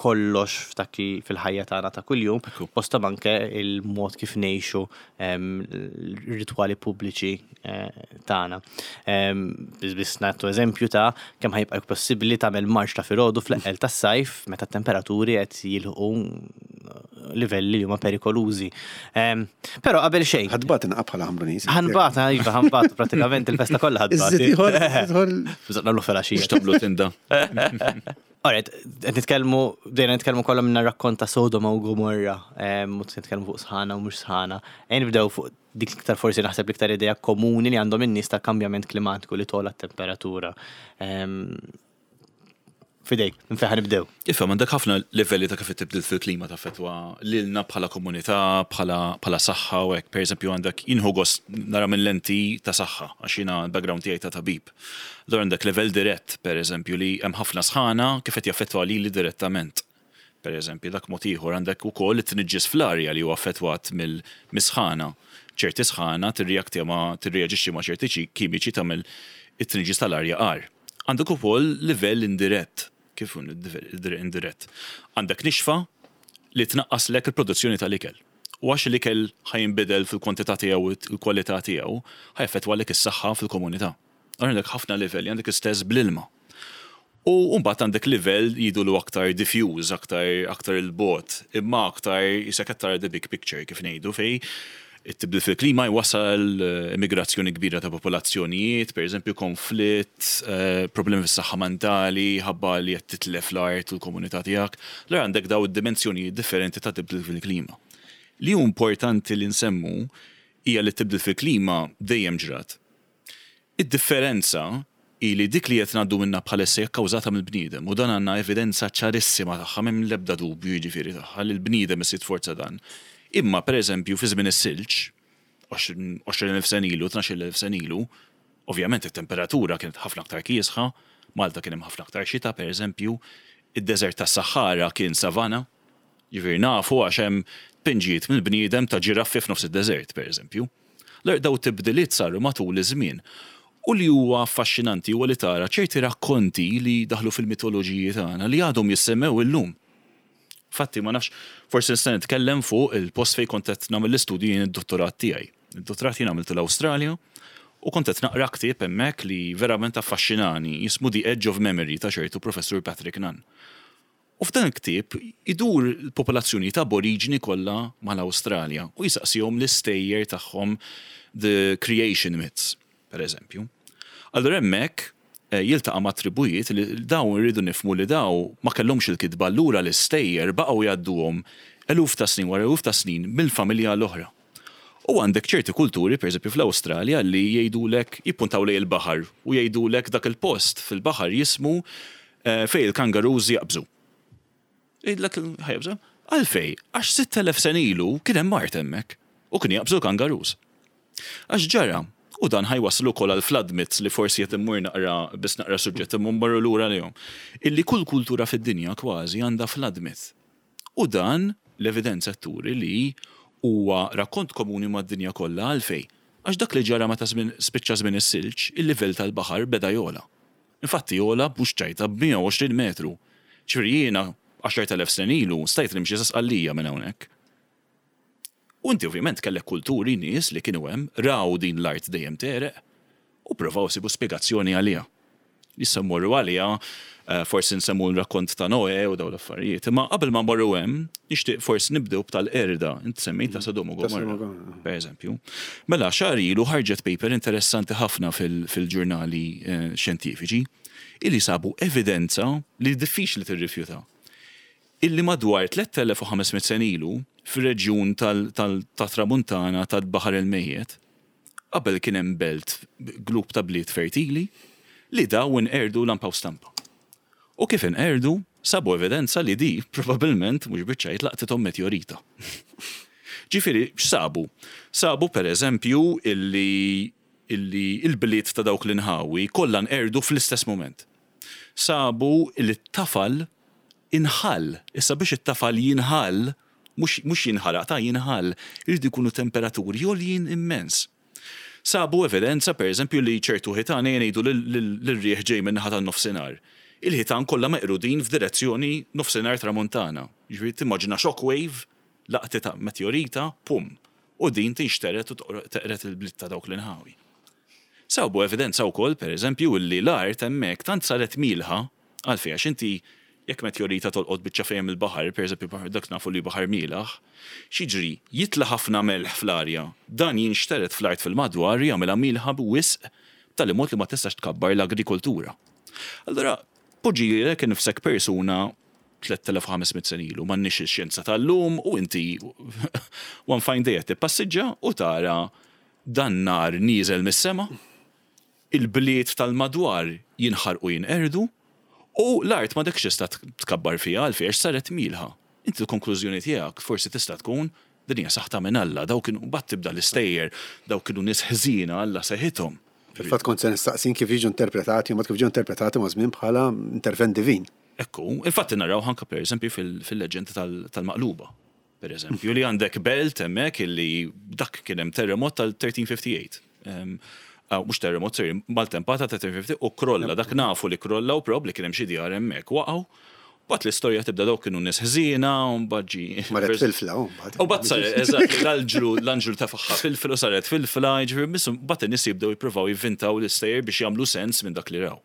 kollox f'dak li fil-ħajja tagħna ta' kuljum, Ekku. fosthom anke il-mod kif ngħixu em, r-ritwali pubbliċi eh, tagħna. Em, Biss biss nagħtu eżempju ta' kemm ħa jibqa' possibbli tagħmel marċ ta' filgħodu fl-eqqel tas-sajf meta t-temperaturi qed jilħqu livelli li huma perikolużi. Em, Però qabel xejn. Ħa tbati naqra bħala Ħamruniż. Ħa nbati, iva, ħa nbatu prattikament il-festa kollha ħa nbati. Iżid ieħor, ieħor. Bżonn nagħmlu filgħaxija. Mhux tagħmlu tinda. Alright, qed nitkellmu, bdejna nitkellmu kollha minna rakkont ta' Sodoma u Gomorra, em, u nitkellmu fuq sħana u mhux sħana. Ejja nibdew fuq dik l-iktar, forsi naħseb l-iktar idea komuni li għandhom in-nies ta' kambjament klimatiku, li togħla t-temperatura. Em, Fidejk, minn fejn ħa nibdew? Ifhem, għandek ħafna livelli ta' kif tibdil fil-klima taffettwa lilna bħala komunità, bħala bħala saħħa u hekk. Per eżempju, għandek, jien nieħu gost nara minn lenti ta' saħħa, għax jiena l-background tiegħi ta' tabib. Allura għandek level dirett, per eżempju, li hemm ħafna sħana, kif qed jaffettwa lili direttament. Per eżempju, dak mod ieħor għandek ukoll it-tniġġis fl-arja li huwa affettwat mill-misħana. Ċerti sħana tirreakti ma tirreaġixxi ma' ċerti ċi- kimiċi, tagħmel it-tniġġis tal-arja agħar. Għandek ukoll livell indirett. Kif hu livell indirett? Għandek nixfa li tnaqqaslek il-produzzjoni tal-ikel. U għax l-ikel ħa jinbidel fil-kwantità tiegħu u l-kwalità tiegħu, ħa jaffettwalek is-saħħa fil-komunità. Għandek ħafna livelli, għandek istess bl-ilma. U mbagħad għandek livell jgħidulu aktar diffuse, aktar aktar il-bogħod, imma aktar jisek aktar the big picture, kif ngħidu, fej it-tibdil fil-klima jwassal eh, immigrazzjoni kbira ta' popolazzjonijiet, per eżempju konflitt, eh, problemi fis-saħħa mentali, ħabba li qed titlef l-art u l-komunità tiegħek. Allura għandek daw id-dimensjonijiet differenti ta' tibdil fil-klima. Li hu importanti li nsemmu hija li tibdil fil-klima dejjem ġrat. Id-differenza hi li dik li qed ngħaddu minna bħalissa hija kkawżata mill-bniedem u dan għandna evidenza ċarissima tagħha, m'hemm l-ebda dubju jiġifieri tagħha li l-bniedem isir forza dan. Imma pereżempju fi żmien is-silġ, għoxrin elf sena ilu, tnax-il elf sena ilu, ovvjament it-temperatura kienet ħafna aktar kiesħa, Malta kien hemm ħafna aktar xita pereżempju, id-deżert tas-Sahara kien savana, jiġifieri nafu għax hemm tpinġijiet mill-bniedem ta' ġiraffi f'nofs id-deżert pereżempju. L daw tibdiliet saru matul iż-żmien. U li huwa affaxxinanti huwa li tara ċerti rakkonti li daħlu fil-mitoloġiji tagħna li għadhom jissemmew illum. Fatti, ma nafx, forsi nista' nitkellem fuq il-post fej kont qed nagħmel l-istudju jien, id-dottorat tiegħi. Id-dottorat jien għamiltu l-Awstralja u kont qed naqra ktieb hemmhekk li verament affaxxinani, jismu The Edge of Memory ta' ċertu Professur Patrick Nunn. U f'dan il-ktieb idur l-popolazzjoni ta' aboriġini kollha mal-Awstralja u jisaqsihom l-istejjer tagħhom, the creation myths, per eżempju. Allura hemmhekk eh, jiltaqa' ma' tribujiet li dawn irridu nifhmu li daw ma kellhomx il-kitba, allura l-istejjer baqgħu jgħadduhom eluf ta' snin wara eluf ta' snin mill-familja l-oħra. U għandek ċerti kulturi, per eżempju fl-Awstralja, li jgħidulek, jippuntaw lejn il-baħar u jgħidulek dak il-post fil-baħar jismu eh, fej il-kangaroos jaqbżu. Jgħidlek ħa jaqbżu? Għalfej, għax sitt elef sena ilu kien hemm mart hemmhekk u kien jaqbżu l-kangaroos. Għax ġara, u dan ħa jwassal ukoll għal flood myths li forsi qed immur naqra biss naqra suġġett imma mmorru lura lejhom. Illi kull kultura fid-dinja kważi għandha flood myth. U dan l-evidenza turi li huwa rakkont komuni mad-dinja kollha. Għalfej. Għax dak li ġara meta żmien spiċċa żmien is-silġ, il-livell tal-baħar beda jogħla. Infatti jogħla bux ċajta b'mija u għoxrin metru. Ġifieri jiena għaxart elef sena ilu stajt nimxi sa Sqallija minn hawnhekk. U inti ovvjament kellek kulturi, nies li kienu hemm, raw din l-art dejjem tegħreq u provaw isibu spjegazzjoni għaliha. Issa mmorru għaliha, eh, forsi nsemmu l-rakkont ta' Noe u daw l-affarijiet. Imma qabel ma mmorru hemm, nixtieq forsi nibdew b'tal-qerda, inti semmejt ta' Sodom u Ta' Sodom u Gomorra, Gomorra. per eżempju. Mela, xahar ilu ħarġet paper interessanti ħafna fil- fil-ġurnali eh, xjentifiċi illi sabu evidenza li diffiċli tirrifjuta. Illi madwar tliet elef u ħames mitt sena ilu fir-reġjun tal-Tramuntana tal-Baħar il-Mejjet, qabel kien hemm belt, grupp ta' bliet fertili, Li daw inqerdu lampa u stampa. U kif inqerdu, sabu evidenza li di probabbilment mhux biċ-ċajt laqtithom meteorita. Ġifieri, x'sabu? Sabu per eżempju illi illi il-bliet ta' dawk l-inħawi kollha nqerdu fl-istess moment. Sabu illi t-tafal inħall. Issa biex it-tafal jinħall, mhux jinħaraq ta' jinħall, irridu jkunu temperaturi għoljin immens. Sabu evidenza per eżempju li ċertu ħitan jgħidu l-riħ ġej minn naħa tan-nofsinhar. Il-ħitan kollha meqrudin f'direzzjoni nofsinhar tramuntana. Ġifieri timmaġina shockwave, laqtita meteorita, pum. U din tinxteret u teqret il-bliet ta' dawk l-inħawi. Sabu evidenza wkoll, per eżempju, li l-art hemmhekk tant saret milħa, għalfejn għax inti jekk meteorita tolqot biċċa fejn il-baħar, per eżempju dak nafu li baħar mielaħ, x'jiġri jitla' ħafna melħ fl-arja, dan jinxteret fl-art fil-madwar jagħmilha milħa b'wisq b'tali mod li ma tistax tkabbar l-agrikoltura. Allura, poġġi lilek innifsek persuna tliet elef u ħames mitt sena ilu, m'għandniex ix-xjenza tal-lum u inti one fine day qed tippassiġġa u tara dan nar nieżel mis-sema, il-bliet tal-madwar jinħarqu jinqerdu u l-art ma dekx tista' tkabbar fiha għalfejn għax saret milħa. Inti l-konklużjoni tiegħek forsi tista' tkun din hija saħta minn Alla, dawk kienu mbagħad tibda l-istejjer, dawk kienu nies ħżiena Alla seħithom. Fil-fatt kont se nistaqsin kif jiġu interpretati, u mbagħad kif ġew interpretati ma' żmien bħala intervent divin. Ekku, infatti naraw anke per eżempju fil-leġenda tal-maqluba. Per eżempju, li għandek belt hemmhekk illi dak kien hemm terremot tal-thirteen fifty-eight. Mhux terremot, sorry, maltempata ta' thirteen fifty u krolla, dak nafu li krolla u probabbli kien hemm xi djar hemmhekk waqgħu. Bat l-istorja tibda dawk kienu nies ħżiena u mbagħad ġi. Marret filfla, u mbagħad. U mbagħad saret, eżatt, l-anġlu, l-anġlu tafaħħa filfla u saret filfla, jiġifieri missu mbagħad in-nies jibdew jippruvaw jivvintaw l-istejjer biex jagħmlu sens minn dak li raw.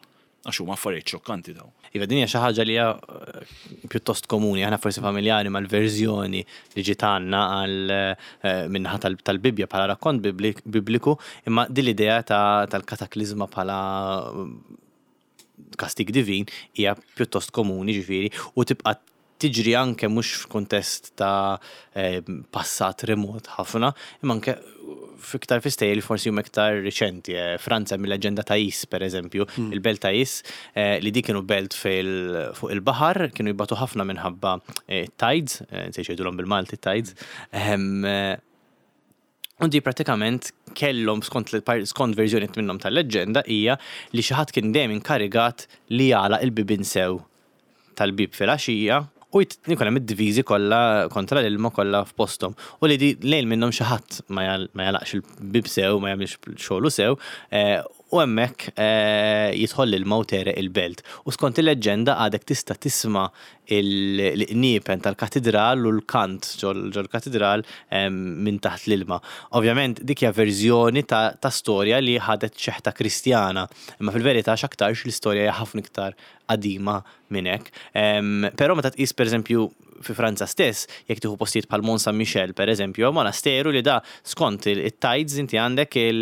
Għax huma affarijiet xokkanti daw. Iva, din hija xi ħaġa li hija pjuttost komuni, aħna forsi familjari mal-verżjoni li ġiet għandna għal minnaħa tal-Bibbja bħala rakkont bibliku, imma din l-idea tal-kataklizma bħala kastig divin hija pjuttost komuni, ġifieri, u tibqa' tiġri anke mhux f'kuntest ta' passat remot ħafna, imma anke fiktar fi stejjer li forsi huma iktar riċenti. Franza mill-leġenda ta' Is, per eżempju, il-belt ta' Is, li di kienu belt fuq il-baħar, kienu jibatu ħafna minħabba tides, nsejt jgħidulhom bil-Malti tides. U di pratikament kellhom skont skont verżjoni minnhom tal-leġenda hija li xi ħadd kien dejjem inkarigat li jagħlaq il-bibien sew tal-bib fil-għaxija u jkun hemm id-diviżi kollha kontra l-ilma kollha f'posthom. U li di lejl minnhom xi ħadd ma jagħlaqx il-bib sew, ma jagħmilx xogħlu sew, u hemmhekk jidħol l-ilma u tereq il-belt. U skont il-leġenda għadek tista' tisma' l-qniepen tal-katedral u l-kant ġol-katedral minn taħt l-ilma. Ovvjament dik hija verżjoni ta' storja li ħadet xeħta Kristjana, imma fil-verità x'aktarx l-istorja hija ħafna iktar qadima minn hekk. Però meta tqis pereżempju fi Franza stess, jekk tieħu postijiet bħal Mont Saint Michel pereżempju, hemm monasteru li da skont it-tides inti għandek il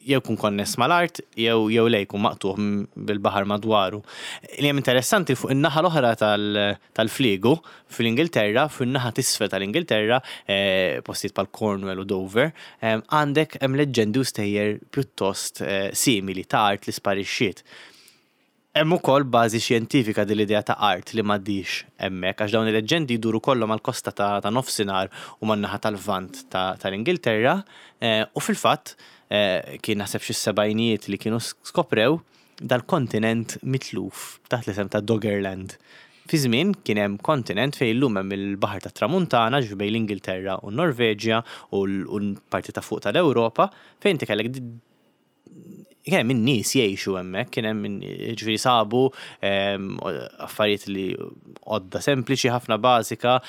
jew kun konness mal-art jew jew le jkun maqtuħ bil-baħar madwaru. Li hemm interessanti fuq in-naħa l-oħra tal-fliegu fl-Ingilterra, fuq in-naħa t'isfel tal-Ingilterra, postijiet bħal Cornwall u Dover, għandek hemm leġendi u stejjer pjuttost simili ta' art li sparixxiet. Hemm ukoll bażi xjentifika din l-idea ta' art li m'għaddix hemmhekk għax dawn il-leġendi jduru kollha mal-kosta ta' nofsinhar u man-naħa tal-Lvant tal-Ingilterra, u fil-fatt kien naħseb xi sebgħinijiet li kienu skoprew dal-kontinent mitluf taħt l-isem ta' Doggerland. Fi żmien kien hemm kontinent fejn illum hemm il-Baħar tat-Tramuntana, ġifieri bejn l-Ingilterra u n-Norveġja u l-parti ta' fuq tal-Ewropa, fejn inti kellek kien hemm in-nies jgħixu hemmhekk, kien hemm ġifieri sabu affarijiet li għodda sempliċi ħafna bażika,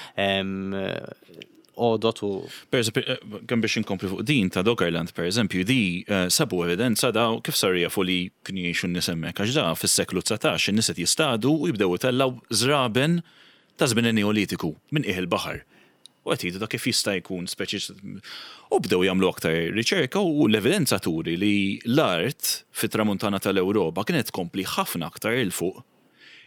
għodot u. Per eżempju, kemm biex inkompli fuq din ta' Doggerland, per eżempju, di sabu evidenza da kif saru jafu li kienu jgħixu n-nies hemmhekk, għax da fis-seklu dsatax in-nies qed jistadu u jibdew itellgħu żraben ta' żmien Neolitiku minn qiegħ il-baħar. U qed jgħidu da kif jista' jkun speċi u bdew jagħmlu aktar riċerka u l-evidenza turi li l-art fit-tramuntana tal-Ewropa kienet tkompli ħafna aktar il fuq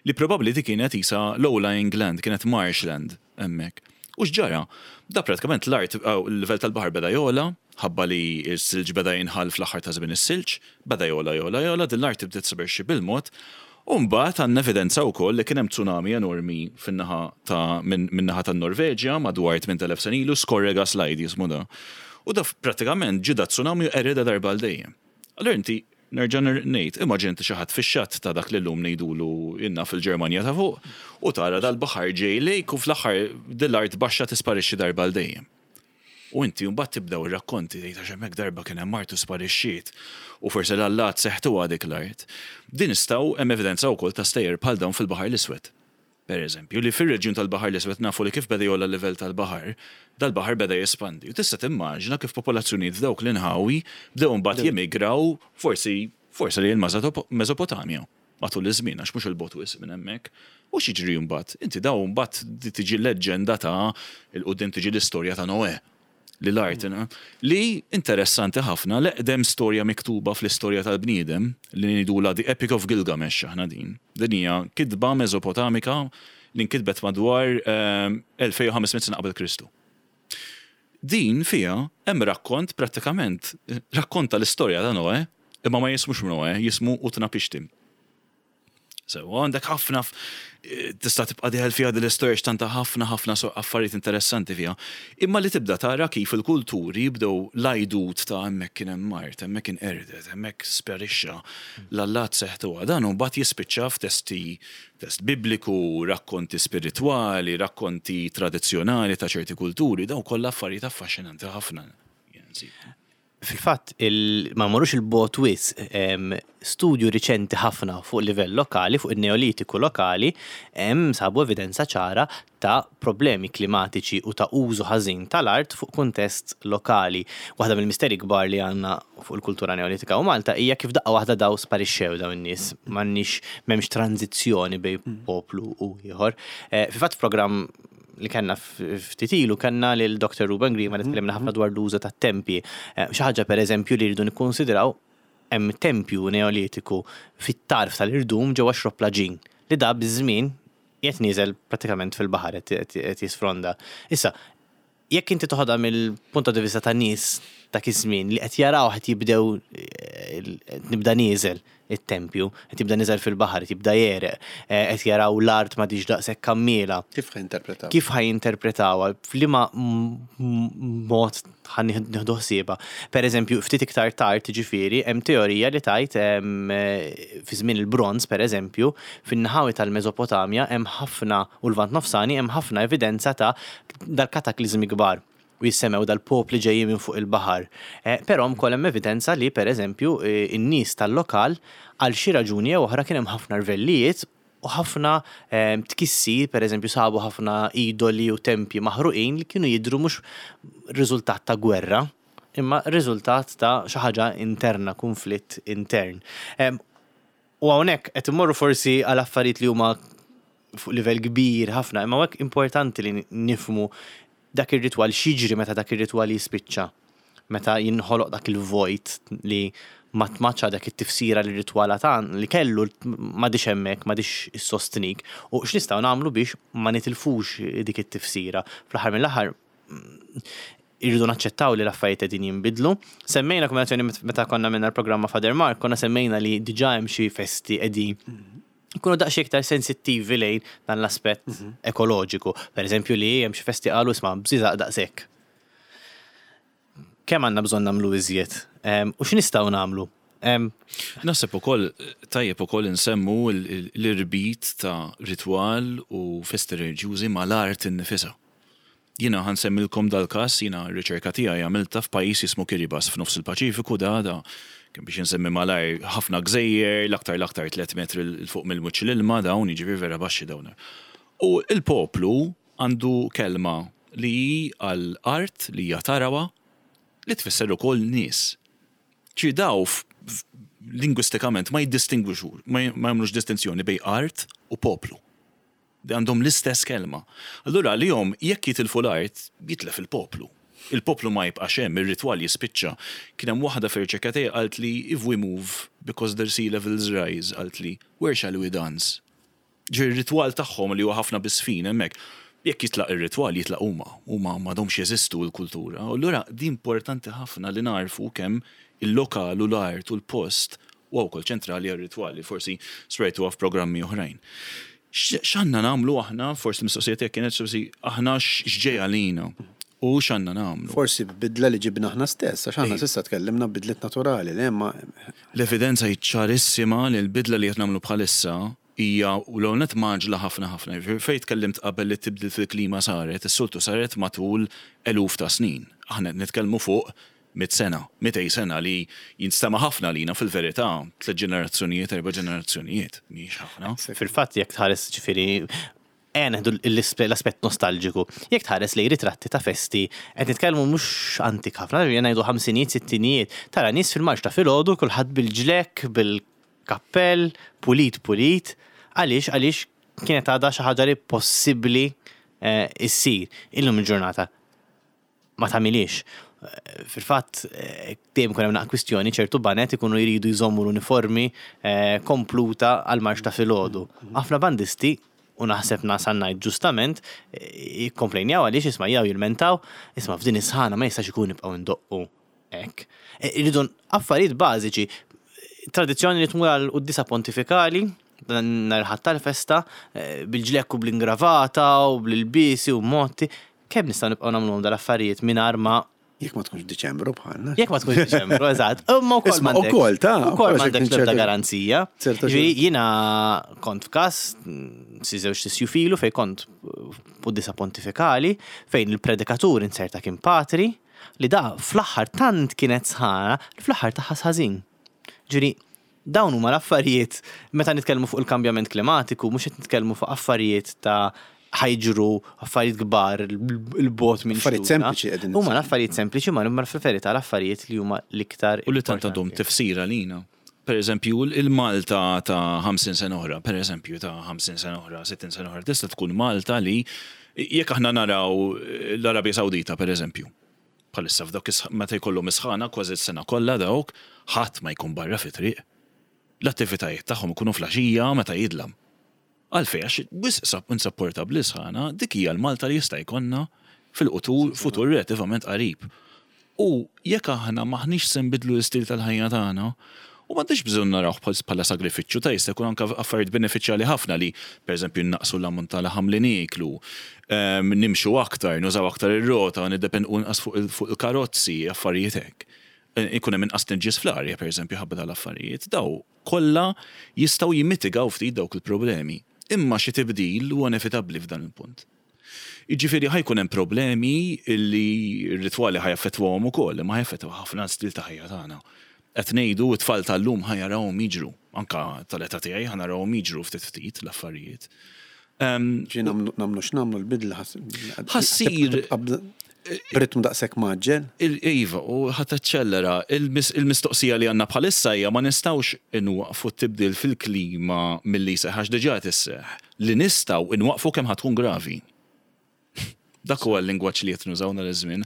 li probabbli di kienet isa low-lying land, kienet marshland hemmhekk. U x'ġara? Da pratikament l-art, il-livell tal-baħar beda jogħla, ħabba li s-silġ beda jinħall fl-aħħar ta' żmien is-silġ, beda jogħla, jogħla, jogħla, din l-art bdiet tisparixxi bil-mod. U mbagħad għandna evidenza wkoll li kien hemm tsunami enormi fin-naħa ta' min-naħa tan-Norveġja madwar tmint elef sena ilu, Skorrega Slide jismu da. U da pratikament ġie da tsunami u qeridha darba għal dejjem. Allura inti nerġa' ngħid, immaġina inti xi ħadd fix-xatt ta' dak li llum ngħidulu inna fil-Ġermanja ta' fuq u tara dal-baħar ġej lejk u fl-aħħar dil-art baxxa tisparixxi darba għal dejjem. U inti mbagħad tibdew ir-rakkonti tgħid għax hemmhekk darba kien hemm art u sparixxiet u forsi l-allat seħtuha dik l-art. Din nistgħu hemm evidenza wkoll ta' stejjer bħal dawn fil-Baħar l-Iswed. Per eżempju, li fir-reġjun tal-Baħar l-Iswed nafu li kif beda jogħla l-livell tal-baħar, dal-baħar beda jespandi. U tista' timmaġina kif popolazzjonijiet f'dawk l-inħawi bdew mbagħad jemigraw forsi forsi li l-Mesopotamja matul iż-żmien, għax mhux 'il bogħod wisq minn hemmhekk. U x'jiġri mbagħad? Inti daw mbagħad tiġi leġġenda ta' 'il quddiem, tiġi l-istorja ta' Noè li l-art, li interessanti ħafna, l-eqdem storja miktuba fl-istorja tal-bniedem, li ngħidulha The Epic of Gilgamesh aħna din. Din hija kitba Mesopotamika li nkitbet madwar elfejn u ħames mitt sena qabel Kristu. Din fija hemm rakkont, prattikament rakkonta l-istorja ta' Noè, imma ma jismux Noè, jismu Utnapishtim. So, għandek ħafna, tista' tibqa' dieħel fiha din l-istorja x'tanta ħafna ħafna affarijiet interessanti fiha. Imma li tibda tara kif il-kulturi jibdew l-għajdut ta' hemmhekk kien hemm art, hemmhekk kien qerdet, hemmhekk sparixxa, l-allat seħtuha. Dan mbagħad jispiċċa f'testi, test bibliku, rakkonti spiritwali, rakkonti tradizzjonali ta' ċerti kulturi, dawn kollha affarijiet affaxxinanti ħafna. Fil-fatt, ma mmorrux 'il bogħod wisq, studju riċenti ħafna fuq livell lokali, fuq il-Neolitiku lokali, hemm sabu evidenza ċara ta' problemi klimatiċi u ta' użu ħażin tal-art fuq kuntest lokali. Waħda mill-misteri kbar li għandna fuq il-kultura Neolitika u Malta hija kif daqqa waħda daw sparixxew daw in-nies, m'għandniex, m'hemmx tranzizzjoni bejn poplu u ieħor. Eh, fil-fatt, programm li kellna ftit ilu kellna lil Doctor Ruben Grima li tkellimna ħafna dwar l-użu ta' tempji. Eh, xi ħaġa, per eżempju, li rridu nikkonsidraw, hemm tempju Neolitiku fit-tarf tal-irdum ġewwa Xrobb l-Għaġin li da biż-żmien qed nieżel prattikament fil-baħar, qed jisfronda. Issa, jekk inti toħodha mill-punto di vista ta' nies dak iż-żmien li qed jaraw qed jibdew eh, nibda nieżel it-tempju, qed jibda nieżel fil-baħar, qed jibda jegħreq, eh, qed jaraw l-art ma diġ daqshekk kammiela. Kif ħa jinterpretaw? Kif ħa jinterpretawha? F'liema mod ħa nieħdu ħsiebha? Per eżempju, ftit iktar tard, ġifieri, hemm teorija li tajt eh, fi żmien il-Bronz, per eżempju, fin-naħawi tal-Mesopotamja hemm ħafna u l-Lvant Nofsani hemm ħafna evidenza ta' dal-kataklizmi kbar u jissemmew dal-popli ġejjin minn fuq il-baħar. Eh, però wkoll hemm evidenza li, per eżempju, eh, in-nies tal-lokal għal xi raġuni jew oħra kien hemm ħafna rvellijiet u ħafna eh, tkissir, per eżempju, sabu ħafna idoli u tempji maħruqin li kienu jidru mhux riżultat ta' gwerra, imma riżultat ta' xi ħaġa interna, konflitt intern. U hawnhekk qed immorru forsi għal affarijiet li huma fuq livell kbir ħafna, imma hekk importanti li nifhmu dak ir-ritwal, x'jiġri meta dak ir-ritwal jispiċċa. Meta jinħoloq dak il-vojt li ma tmaċċa dak it-tifsira li ritwal tan li kellu m'għadhiex hemmhekk, m'għadhiex issostnik. U x'nistgħu nagħmlu biex ma nitilfux dik it-tifsira? Fl-aħħar mill-aħħar irridu naċċettaw li l-affarijiet qegħdin jinbidlu. Semmejna kombinazzjoni meta konna minna l-programma Father Mark, konna semmejna li diġà hemm xi festi qegħdin ikunu daqsxejn iktar sensittivi lejn dan l-aspett ekoloġiku. Per eżempju, li hemm xi festi qalu, "Isma', bżiżaq daqshekk. Kemm għandna bżonn nagħmlu iżjed? U x'nistgħu nagħmlu?" Naħseb ukoll tajjeb ukoll insemmu l-irbit ta' ritwal u festi reliġjużi mal-art innifisha. Jiena ħa nsemmilkom dal-każ, jiena r-riċerka tiegħi għamilta f'pajjiż jismu Kiribati f'nofs il-Paċifiku, da da kien biex insemmi malajr ħafna gżejjer, l-aktar l-aktar tliet metri 'l fuq mill-wiċċ l-ilma dawn, jiġifieri vera baxxi dawn. U il-poplu għandu kelma li għal art li hija tarawa, li tfisser ukoll nies. Ċi daw lingwistikament ma jiddistingwixu, ma jagħmlux distinzjoni bejn art u poplu. Di għandhom l-istess kelma. Allura li jom jekk jitilfu l-art, jitlef il-poplu. Il-poplu ma jibqax hemm, ir-ritwal jispiċċa. Kien hemm waħda fir-riċerka tiegħi qalt li, "If we move because the sea levels rise," qalt li, "where shall we dance?" Ġi r-ritwal tagħhom li huwa ħafna bisfin hemmhekk. Jekk jitlaq ir-ritwal, jitlaq huma, huma m'għadhomx jeżistu l-kultura. U allura di importanti ħafna li narfu kemm il-lokal u l-art u l-post u wkoll ċentrali għar-ritwali, forsi smajtu f'programmi oħrajn. X'għandna nagħmlu aħna, forsi mistoqsija tiegħek kienet forsi aħna x'ġej għalina u x'għandna nagħmlu. Forsi bidla li ġibna aħna stess, għax aħna s'issa tkellimna bidliet naturali, li imma L-evidenza hi ċarissima li l-bidla li qed nagħmlu bħalissa hija u l-għonet mgħaġġla ħafna ħafna. Fejn tkellimt qabel li tibdil fil-klima saret, is-soltu saret matul eluf ta' snin. Aħna qed nitkellmu fuq mit sena, mitej sena li jinstema ħafna lina fil-verità, tliet ġenerazzjonijiet, erba' ġenerazzjonijiet, mhijiex ħafna. Fil-fatt jekk tħares ġifieri ejja neħdu l-aspett nostalġiku. Jekk tħares li ritratti ta' festi, qed nitkellmu mhux antik ħafna, jien ngħidu ħamsinijiet, sittinijiet, tara nies fil-marċ ta' filgħodu kulħadd bil-ġlekk, bil-kappell, pulit pulit, għaliex għaliex kienet għadha xi ħaġa li possibbli eh, issir illum il-ġurnata ma tagħmilix. Eh, Fil-fatt, eh, dejjem ikun hemm naqra kwistjoni ċertu baned ikunu jridu jżommu l-uniformi eh, kompluta għal marċ ta' filgħodu. Ħafna bandisti u naħseb nasal ngħid ġustament eh, jikkomplejnjaw għaliex isma' jew jilmentaw, isma' f'din is-sħana ma jistax ikun nibqgħu ndoqqu hekk. Eh, Irridu affarijiet bażiċi, tradizzjoni li tmur għal quddisa pontifikali, dan nhar il-Ħadd tal-festa, eh, bil-ġlekk u bl-ingravata u bl-ilbiesi u motti, kemm nistgħu nibqgħu nagħmluhom dal-affarijiet mingħajr ma jekk ma tkunx Diċembru bħalna. Jekk ma tkunx Diċembru, eżatt. Imma wkoll Isma' m'għandek- ukoll, ta' ukoll ukoll m'għandek xi l-ebda ċerta- garanzija. ċerta Ġifieri jiena kont f'każ mm, si żewġ tisju filu fejn kont quddisa pontifikali fejn il-predikatur inserta kien patri li da fl-aħħar tant kienet sħana li fl-aħħar taħas ħażin. Ġifieri dawn huma l-affarijiet meta nitkellmu fuq il-kambjament klimatiku, mhux qed nitkellmu fuq affarijiet ta' ħa jiġru affarijiet kbar il-bogħod minn Affarijiet xtutna. sempliċi qegħdin Huma l-affarijiet sempliċi ma imma fil-verità l-affarijiet li huma l-iktar U li tant għandhom importanti. tifsira lina. Per eżempju, il-Malta ta' ħamsin sena oħra, per eżempju ta' ħamsin sena oħra, sittin sena oħra, tista' tkun Malta li jekk aħna naraw l-Arabja Sawdita, per eżempju, bħalissa f'dawk is- meta jkollhom isħana kważi s-sena kollha dawk, ħadd ma jkun barra fi triq. L-attivitajiet tagħhom ikunu flaxija meta jidlam. Għalfej, għax wisq sab insapportabbli sħana, dik hija l-Malta li jista' jkollna fil-futur futur relattivament qarib. U jekk aħna maħniex se nbidlu l-istil tal-ħajja tagħna, u m'għandix bżonn narawh bħal- bħala sagrifiċċju ta' jista' jkun anke affarijiet benefiċjali ħafna li pereżempju naqsu l-ammont ta' laħam li nieklu, em, nimxu aktar, nużaw aktar ir-rota, niddependu inqas fuq il- fuq il-karozzi, affarijiet hekk. Eh, Ikun hemm inqas tniġġis fl-arja pereżempju ħabba tal-affarijiet, daw kollha jistgħu jimmitigaw ftit dawk il-problemi. Imma xi tibdil huwa inevitabbli f'dan il-punt. Jiġifieri ħa jkun hemm problemi li r-ritwali ħa jaffettwahom ukoll, imma ħa jaffettwa ħafna stil ta' ħajja tagħna. Qed ngħidu t-tfal tal-lum ħa jarawhom jiġru, anka tal-età tiegħi ħa narawhom jiġru ftit ftit l-affarijiet. Em, Ġi nagħmlu nagħmlu x'nagħmlu l-bidla ħas- Ħassir- tibqa' b'ritmu daqshekk mgħaġġel. Il- Iva, u ħa taċċellera, il-mistoqsija li għandna bħalissa hija ma nistgħux inwaqfu t-tibdil fil-klima milli seħ, għax diġà tisseħ. Li nistgħu inwaqfu kemm ħa tkun gravi. Dak huwa l-lingwaġġ li qed nużaw nhar iż-żmien.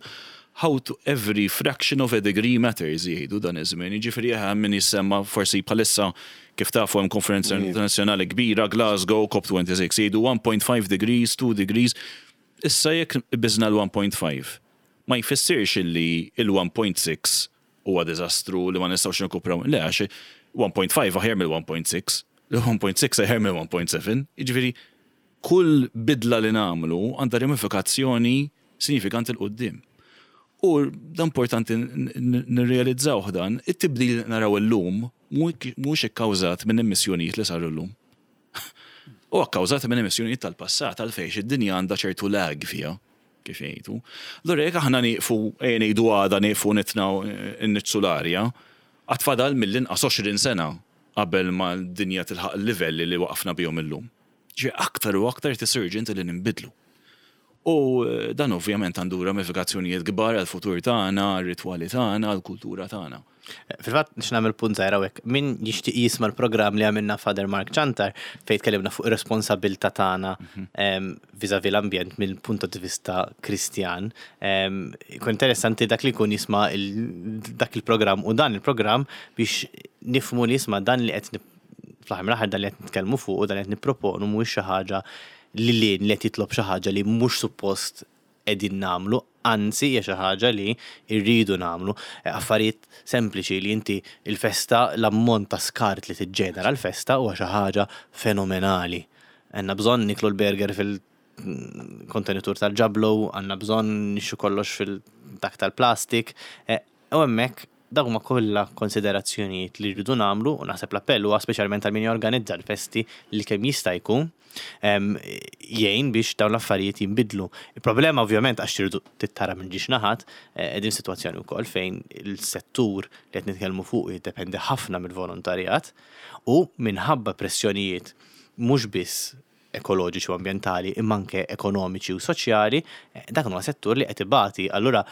How to every fraction of a degree matters jgħidu dan iż-żmien. Jiġifieri hemm min jissemma forsi bħalissa kif tafu hemm konferenza internazzjonali kbira Glasgow C O P twenty-six jgħidu one point five degrees, two degrees. Issa jekk biżna l-one point five ma jfissirx illi il-one point six huwa diżastru li ma nistgħux nirkupraw. Le, għax one point five aħjar mill-one point six, il-one point six aħjar mill-one point seven. Jiġifieri kull bidla li nagħmlu għandha ramifikazzjoni sinifikanti 'l quddiem. U dan importanti nirrealizzaw dan, it-tibdil li naraw illum mhux ikkawżat minn emissjonijiet li saru llum. U akkawżat minn emissjonijiet tal-passat għalfejn id-dinja għandha ċertu lag fiha, kif jgħidu. Allura jekk aħna nieqfu ejja ngħidu għada nieqfu nitnaw inniġġsu l-arja, għad fadal mill-inqas għoxrin sena qabel ma l-dinja tilħaq il-livelli li waqafna bihom illum. Ġi aktar u aktar urgent li ninbidlu. U eh, dan ovvjament għandu ramifikazzjonijiet kbar għal-futur tagħna, għal-ritwali tagħna, għal-kultura tagħna. Fil-fatt, nix nagħmel punt żgħira hawnhekk. Min jixtieq jisma' l-programm li għamilna Father Mark Ciantar fejn tkellimna fuq ir-responsabilità tagħna em, vis-à-vis l-ambjent mill-punt di vista Kristjan. Em, Ikun interessanti dak li jkun jisma' il- dak il-programm u dan il-programm biex nifhmu li jisma' dan li qed nip- fl-aħħar mill-aħħar dan li qed nitkellmu fuq u dan li qed nipproponu mhuwiex xi ħaġa li li li qed jitlob xi ħaġa li mhux suppost qegħdin nagħmlu, anzi hija xi ħaġa li rridu nagħmlu. Eh, Affarijiet sempliċi li inti il-festa, l-ammont ta' skart li tiġġenera l-festa huwa xi ħaġa fenomenali. Għandna bżonn niklu l-burger fil-kontenitur tal-ġablo, għandna bżonn nixtru kollox fil-dak tal-plastik. Eh, U hemmhekk dawk huma kollha konsiderazzjonijiet li rridu nagħmlu u naħseb l-appell huwa speċjalment għal min jorganizza l-festi li kemm jista' jkun em, jgħin biex dawn l-affarijiet jinbidlu. Il-problema ovvjament, għax tridu tittara minn żewġ naħat, eh, qegħdin sitwazzjoni wkoll fejn il-settur li qed nitkellmu fuq jiddependi ħafna mill-volontarjat u minħabba pressjonijiet mhux biss ekoloġiċi u ambjentali imma anke ekonomiċi u soċjali, eh, dak huwa settur li qed ibati. Allura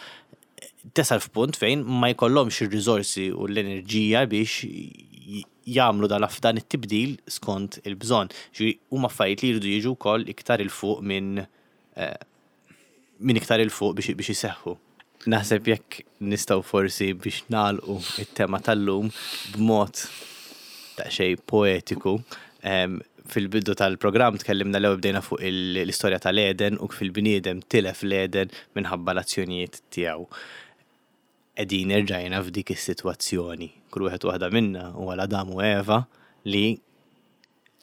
tasal f'punt fejn ma jkollhomx ir-riżorsi u l-enerġija biex j- jagħmlu dan dan it-tibdil skont il-bżonn. Ġifieri huma affarijiet li jridu jiġu wkoll iktar 'il fuq minn eh, minn iktar 'il fuq biex biex iseħħu. Naħseb jekk nistgħu forsi biex nagħlqu it-tema tal-lum b'mod daqsxejn poetiku. Em, Fil-bidu tal-programm tkellimna, l bdejna fuq il- l-istorja tal-Eden u kif il-bniedem tilef l-Eden minħabba l-azzjonijiet tiegħu. Qegħdin erġajna f'dik is-sitwazzjoni. Kull wieħed u waħda minna huwa l-Adam u Eva li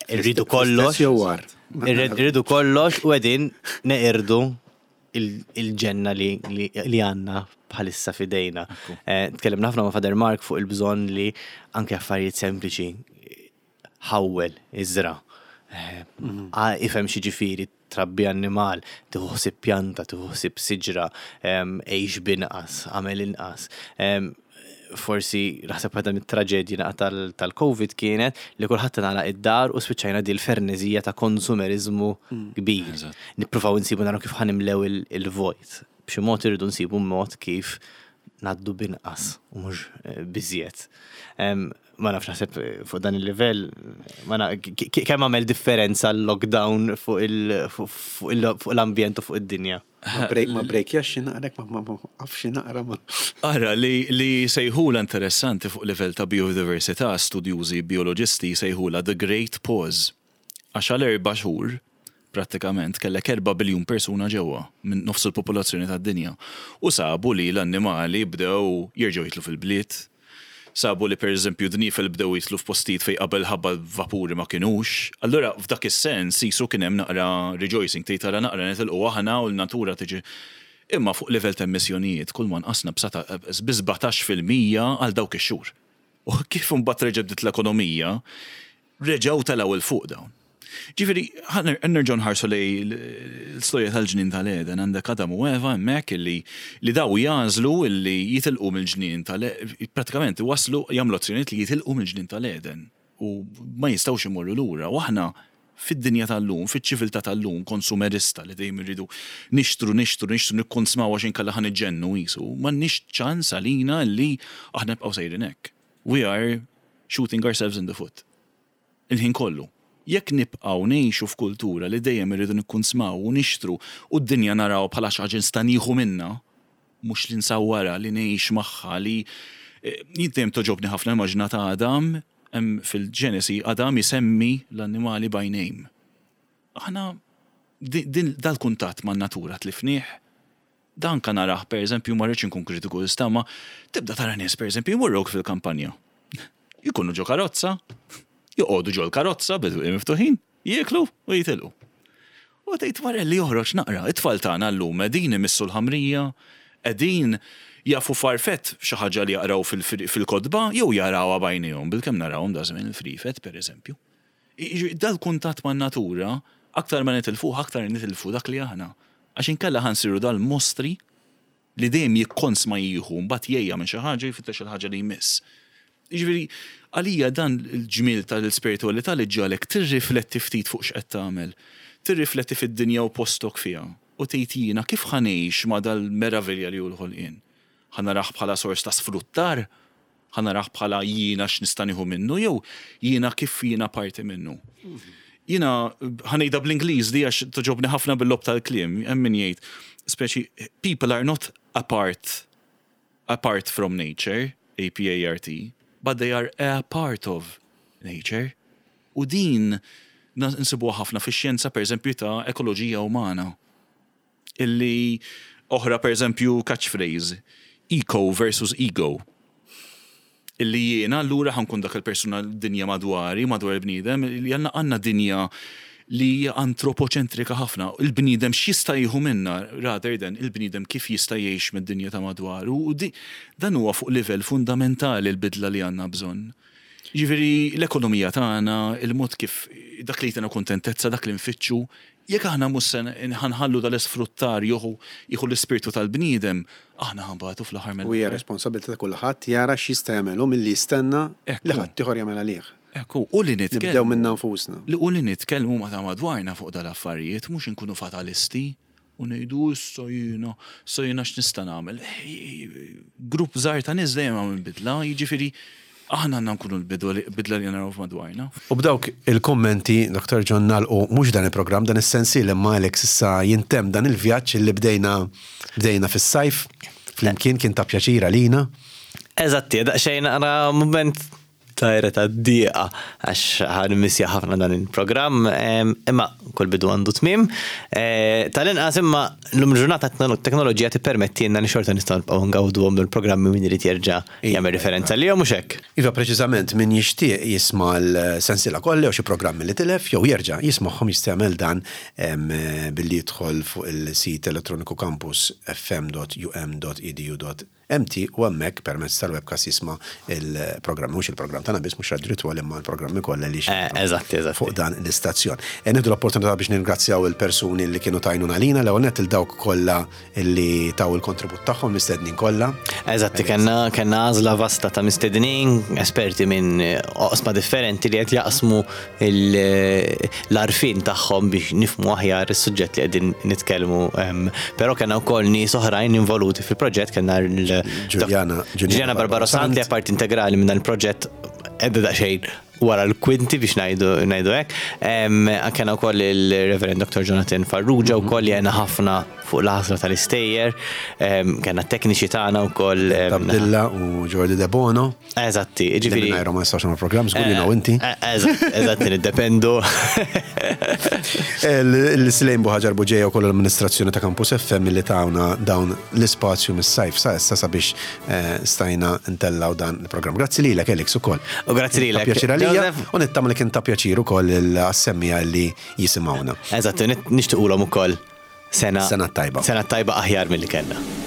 rridu kollox. Jew war. Irridu kollox u qegħdin neqirdu il- il-ġenna li, li, li għandna bħalissa fidejna. Eh, Tkellimna ħafna ma' Father Mark fuq il-bżonn li anke affarijiet sempliċi, ħawwel, iżra. Eh, ah, Ifhem x'jiġifieri trabbi annimal, tieħu ħsieb pjanta, tieħu ħsieb siġra, em, għix b'inqas, għamel inqas. Em, Forsi naħseb waħda mit-traġedji naqa tal- tal-Covid kienet li kulħadd ngħalaq id-dar u spiċċajna di l-ferneżija ta' konsumerizmu kbir. Eżatt. Nippruvaw insibu, naraw kif ħa nimlew il- il-vojt. B'xi mod irridu nsibu mod kif ngħaddu b'inqas u mhux eh, b'iżjed. Em, Ma nafx, naħseb eh, fuq dan il-livell, ma na- k- k- kemm għamel differenza l-lockdown fuq il- fuq- fuq il- fuq l-ambjent u fuq id-dinja? Ma break ma break xi naqra ma ma ma af xi naqra ma. Ara, li, li sejħula interessanti fuq livell ta' biodiversità, studjużi bioloġisti sejħula The Great Pause. Għax għal erba' xhur, prattikament, kellek erba' biljun persuna ġewwa, minn nofs il-popolazzjoni tad-dinja. U sabu li l-annimali bdew jerġgħu jitlu fil-bliet. Sabu li, per eżempju, dnifel bdew jitlu f'postijiet fej qabel ħabba vapuri ma kinux. Allura f'dak is-sens jisu kien hemm naqra rejoicing, tgħid tara naqra nitilqu aħna u l-natura tiġi. Imma fuq livell ta' emissjonijiet, kull ma nqasna bi sbatax fil-mija għal dawk ix-xhur. U kif imbagħad reġa' bdiet l-ekonomija, reġgħu telgħu 'il fuq dawn. Ġifieri, nerġgħu nħarsu lejn l-istorja tal-ġnien tal-Eden, għandek Adam u Eva hemmhekk illi li daw jagħżlu illi jitilqu mill-ġnien tal, pratikament waslu jagħmlu azzjonijiet li jitilqu mill-ġnien tal-Eden u ma jistgħux imorru lura. U aħna fid-dinja tal-lum, fiċ-ċiviltà tal-lum, konsumerista li dejjem irridu nixtru, nixtru, nixtru, nikkonsmaw għax inkella ħa niġġennu jisu, m'għandniex ċans għalina li aħna nibqgħu sejrin hekk. We are shooting ourselves in the foot. Il-ħin kollu. Jekk nibqgħu ngħixu f'kultura li dejjem irridu nikkonsmaw u nixtru u d-dinja naraw bħala xi ħaġa nista' nieħu minna, mhux li nsawwara, li ngħix magħha, li eh, jien dejjem togħġobni ħafna immaġna ta' Adam, hemm fil-Ġenesi Adam isemmi l-annimali by name. Aħna di- din dal-kuntatt man-natura tlifnieh. Dan kan narah, per eżempju, ma rridx inkun kritiku issa, ma tibda tara nies, per eżempju, jmorrok fil-kampanja. Jkunu ġo karozza, joqogħdu ġo l-karozza bil miftuħin, jieklu u jitilqu. U tgħid wara li joħroġ naqra, it-tfal tagħna llum qegħdin imissu l-ħamrija, qegħdin jafu farfett, xi ħaġa li jaqraw fil- fil-kotba jew jarawha b'għajnejhom, bilkemm narawhom da żmien il-frifet, pereżempju. Jiġifieri, dal-kuntatt man-natura, aktar ma nitilfuh, aktar nitilfu dak li aħna. Għax inkella ħa nsiru dal-mostri li dejjem jikkonsma jieħu, mbagħad jgħejja minn xi ħaġa, jfittex il-ħaġa li jmiss. Jiġifieri, għalija dan il-ġmil tal-spiritualità li ġġagħlek tirrifletti ftit fuq x'qed tagħmel, tirrifletti fid-dinja u postok fiha. U tgħid, jiena kif ħa ngħix ma' dal-meravilja li hu l-ħolqien? Ħa narah bħala sors ta' sfruttar? Ħa narah bħala jiena x'nista' nieħu minnu jew jiena kif jiena parti minnu? Jiena ħa ngħidha bl-Ingliż di għax togħġobni ħafna bil-logħob tal-kliem, hemm min jgħid, speċi people are not apart apart from nature, A P A R T, but they are a part of nature. U din Nsibuha ħafna fix-xjenza, pereżempju, ta' ekoloġija umana. Illi oħra, pereżempju, catchphrase, eco versus ego. Illi jiena allura ħa nkun dak il-persuna, dinja madwari, madwar il-bniedem, li għandna għandna dinja li hija antropoċentrika ħafna. Il-bniedem x'jista' jieħu minna rather than il-bniedem kif jista' jgħix mid-dinja ta' madwaru. U di, dan huwa fuq livell fundamentali l-bidla li għandna bżonn. Ġifieri l-ekonomija tagħna, il-mod kif dak li jtina kontentezza, dak li nfittxu, jekk aħna mhux se ħa nħallu dal-isfruttar jieħu jieħu l-ispirtu tal-bniedem, aħna ħa nbatu fl-aħħar U hija mill responsabilità ta' kulħadd jara x'jista' jagħmel milli jistenna Ekku. li ħadd ieħor jagħmel għalih. Ekku, u li Nibdew nitkellmu. minna nfusna. Li u li nitkellmu ma ta' madwarna fuq dal-affarijiet, mhux inkunu fatalisti u ngħidu issa jiena, issa jiena x'nista' nagħmel. Grupp żgħar ta' nies dejjem għamel bidla, jiġifieri aħna għandna nkunu l-bidla li naraw madwarna. U b'dawk il-kommenti, Doktor John, nagħlqu mhux dan il-programm, dan is-sensiela, imma Alex issa jintemm dan il-vjaġġ li bdejna bdejna fis-sajf, flimkien kien ta' pjaċir għalina. Eżatti, daqsxejn naqra moment tajra ta' diqa għax ħa nimmissja ħafna dan il-programm, em, imma kull bidu għandu tmim. Eh, Tal-inqas imma l-lum ġurnata teknoloġija tippermettilna li xorta nistgħu nibqgħu ngawdu il-programmi min irid jerġa' jagħmel referenza li mhux hekk. Iva, preċiżament, min jixtieq jisma' l-sensiela kollha jew xi programmi li tilef jew jerġa' jismagħhom jista' jagħmel dan em, billi jidħol fuq il-sit elettroniku campus F M dot U M dot edu dot M T u hemmhekk permezz tal-webcast jisma' il-programmi, mhux il-programm tagħna biss, mhux Radio Ritwal, imma l-programmi kollha li Eh, Eżatti, eżatti. fuq dan l-istazzjon. E nieħdu l-opportunità biex ningrazzjaw il-persuni li kienu t'għajnuna għalina, l nett lil dawk kollha li taw il-kontribut tagħhom, mistednin kollha. Eżatti, kellna kellna għażla vasta ta' mistednin, esperti minn oqsma differenti li qed jaqsmu il- l-għarfien tagħhom biex nifhmu aħjar is-suġġett li qegħdin nitkellmu. em, Però kellna wkoll nies oħrajn involuti fil-proġett, kellna l- Giuliana- Giuliana Barbaro Sant li parti integrali minn dan il-proġett, edda daqsxejn wara l-kwinti biex ngħidu ngħidu hekk. Em, Kellna wkoll il-Reverend Doctor Jonathan Farrugia wkoll li għena ħafna fuq l-ħasra tal-istejjer. Em, Kellna tekniċi tagħna wkoll. em, Abdilla u Jordi De Bono. Eżatti, Ġifieri. ġifieri. Mingħajrhom ma nistax nagħmlu programm, żgur jiena u inti. Eh, Eżatt, eżatt, niddependu. Il-Slejn Buħaġar Buġeja u koll l-amministrazzjoni ta' Campus F M li tawna dawn l-ispazju mis-sajf sa issa sabiex eh, stajna ntellaw dan il-programm. Grazzi lilek, Alex, ukoll. U grazzi lilek, Ta' pjaċir għalija Joseph. u nittama li kien ta' pjaċir ukoll il-assemmija li jisimgħuna. Eżatt, nixtiequlhom ukoll sena Sena tajba. Sena tajba aħjar milli kellna.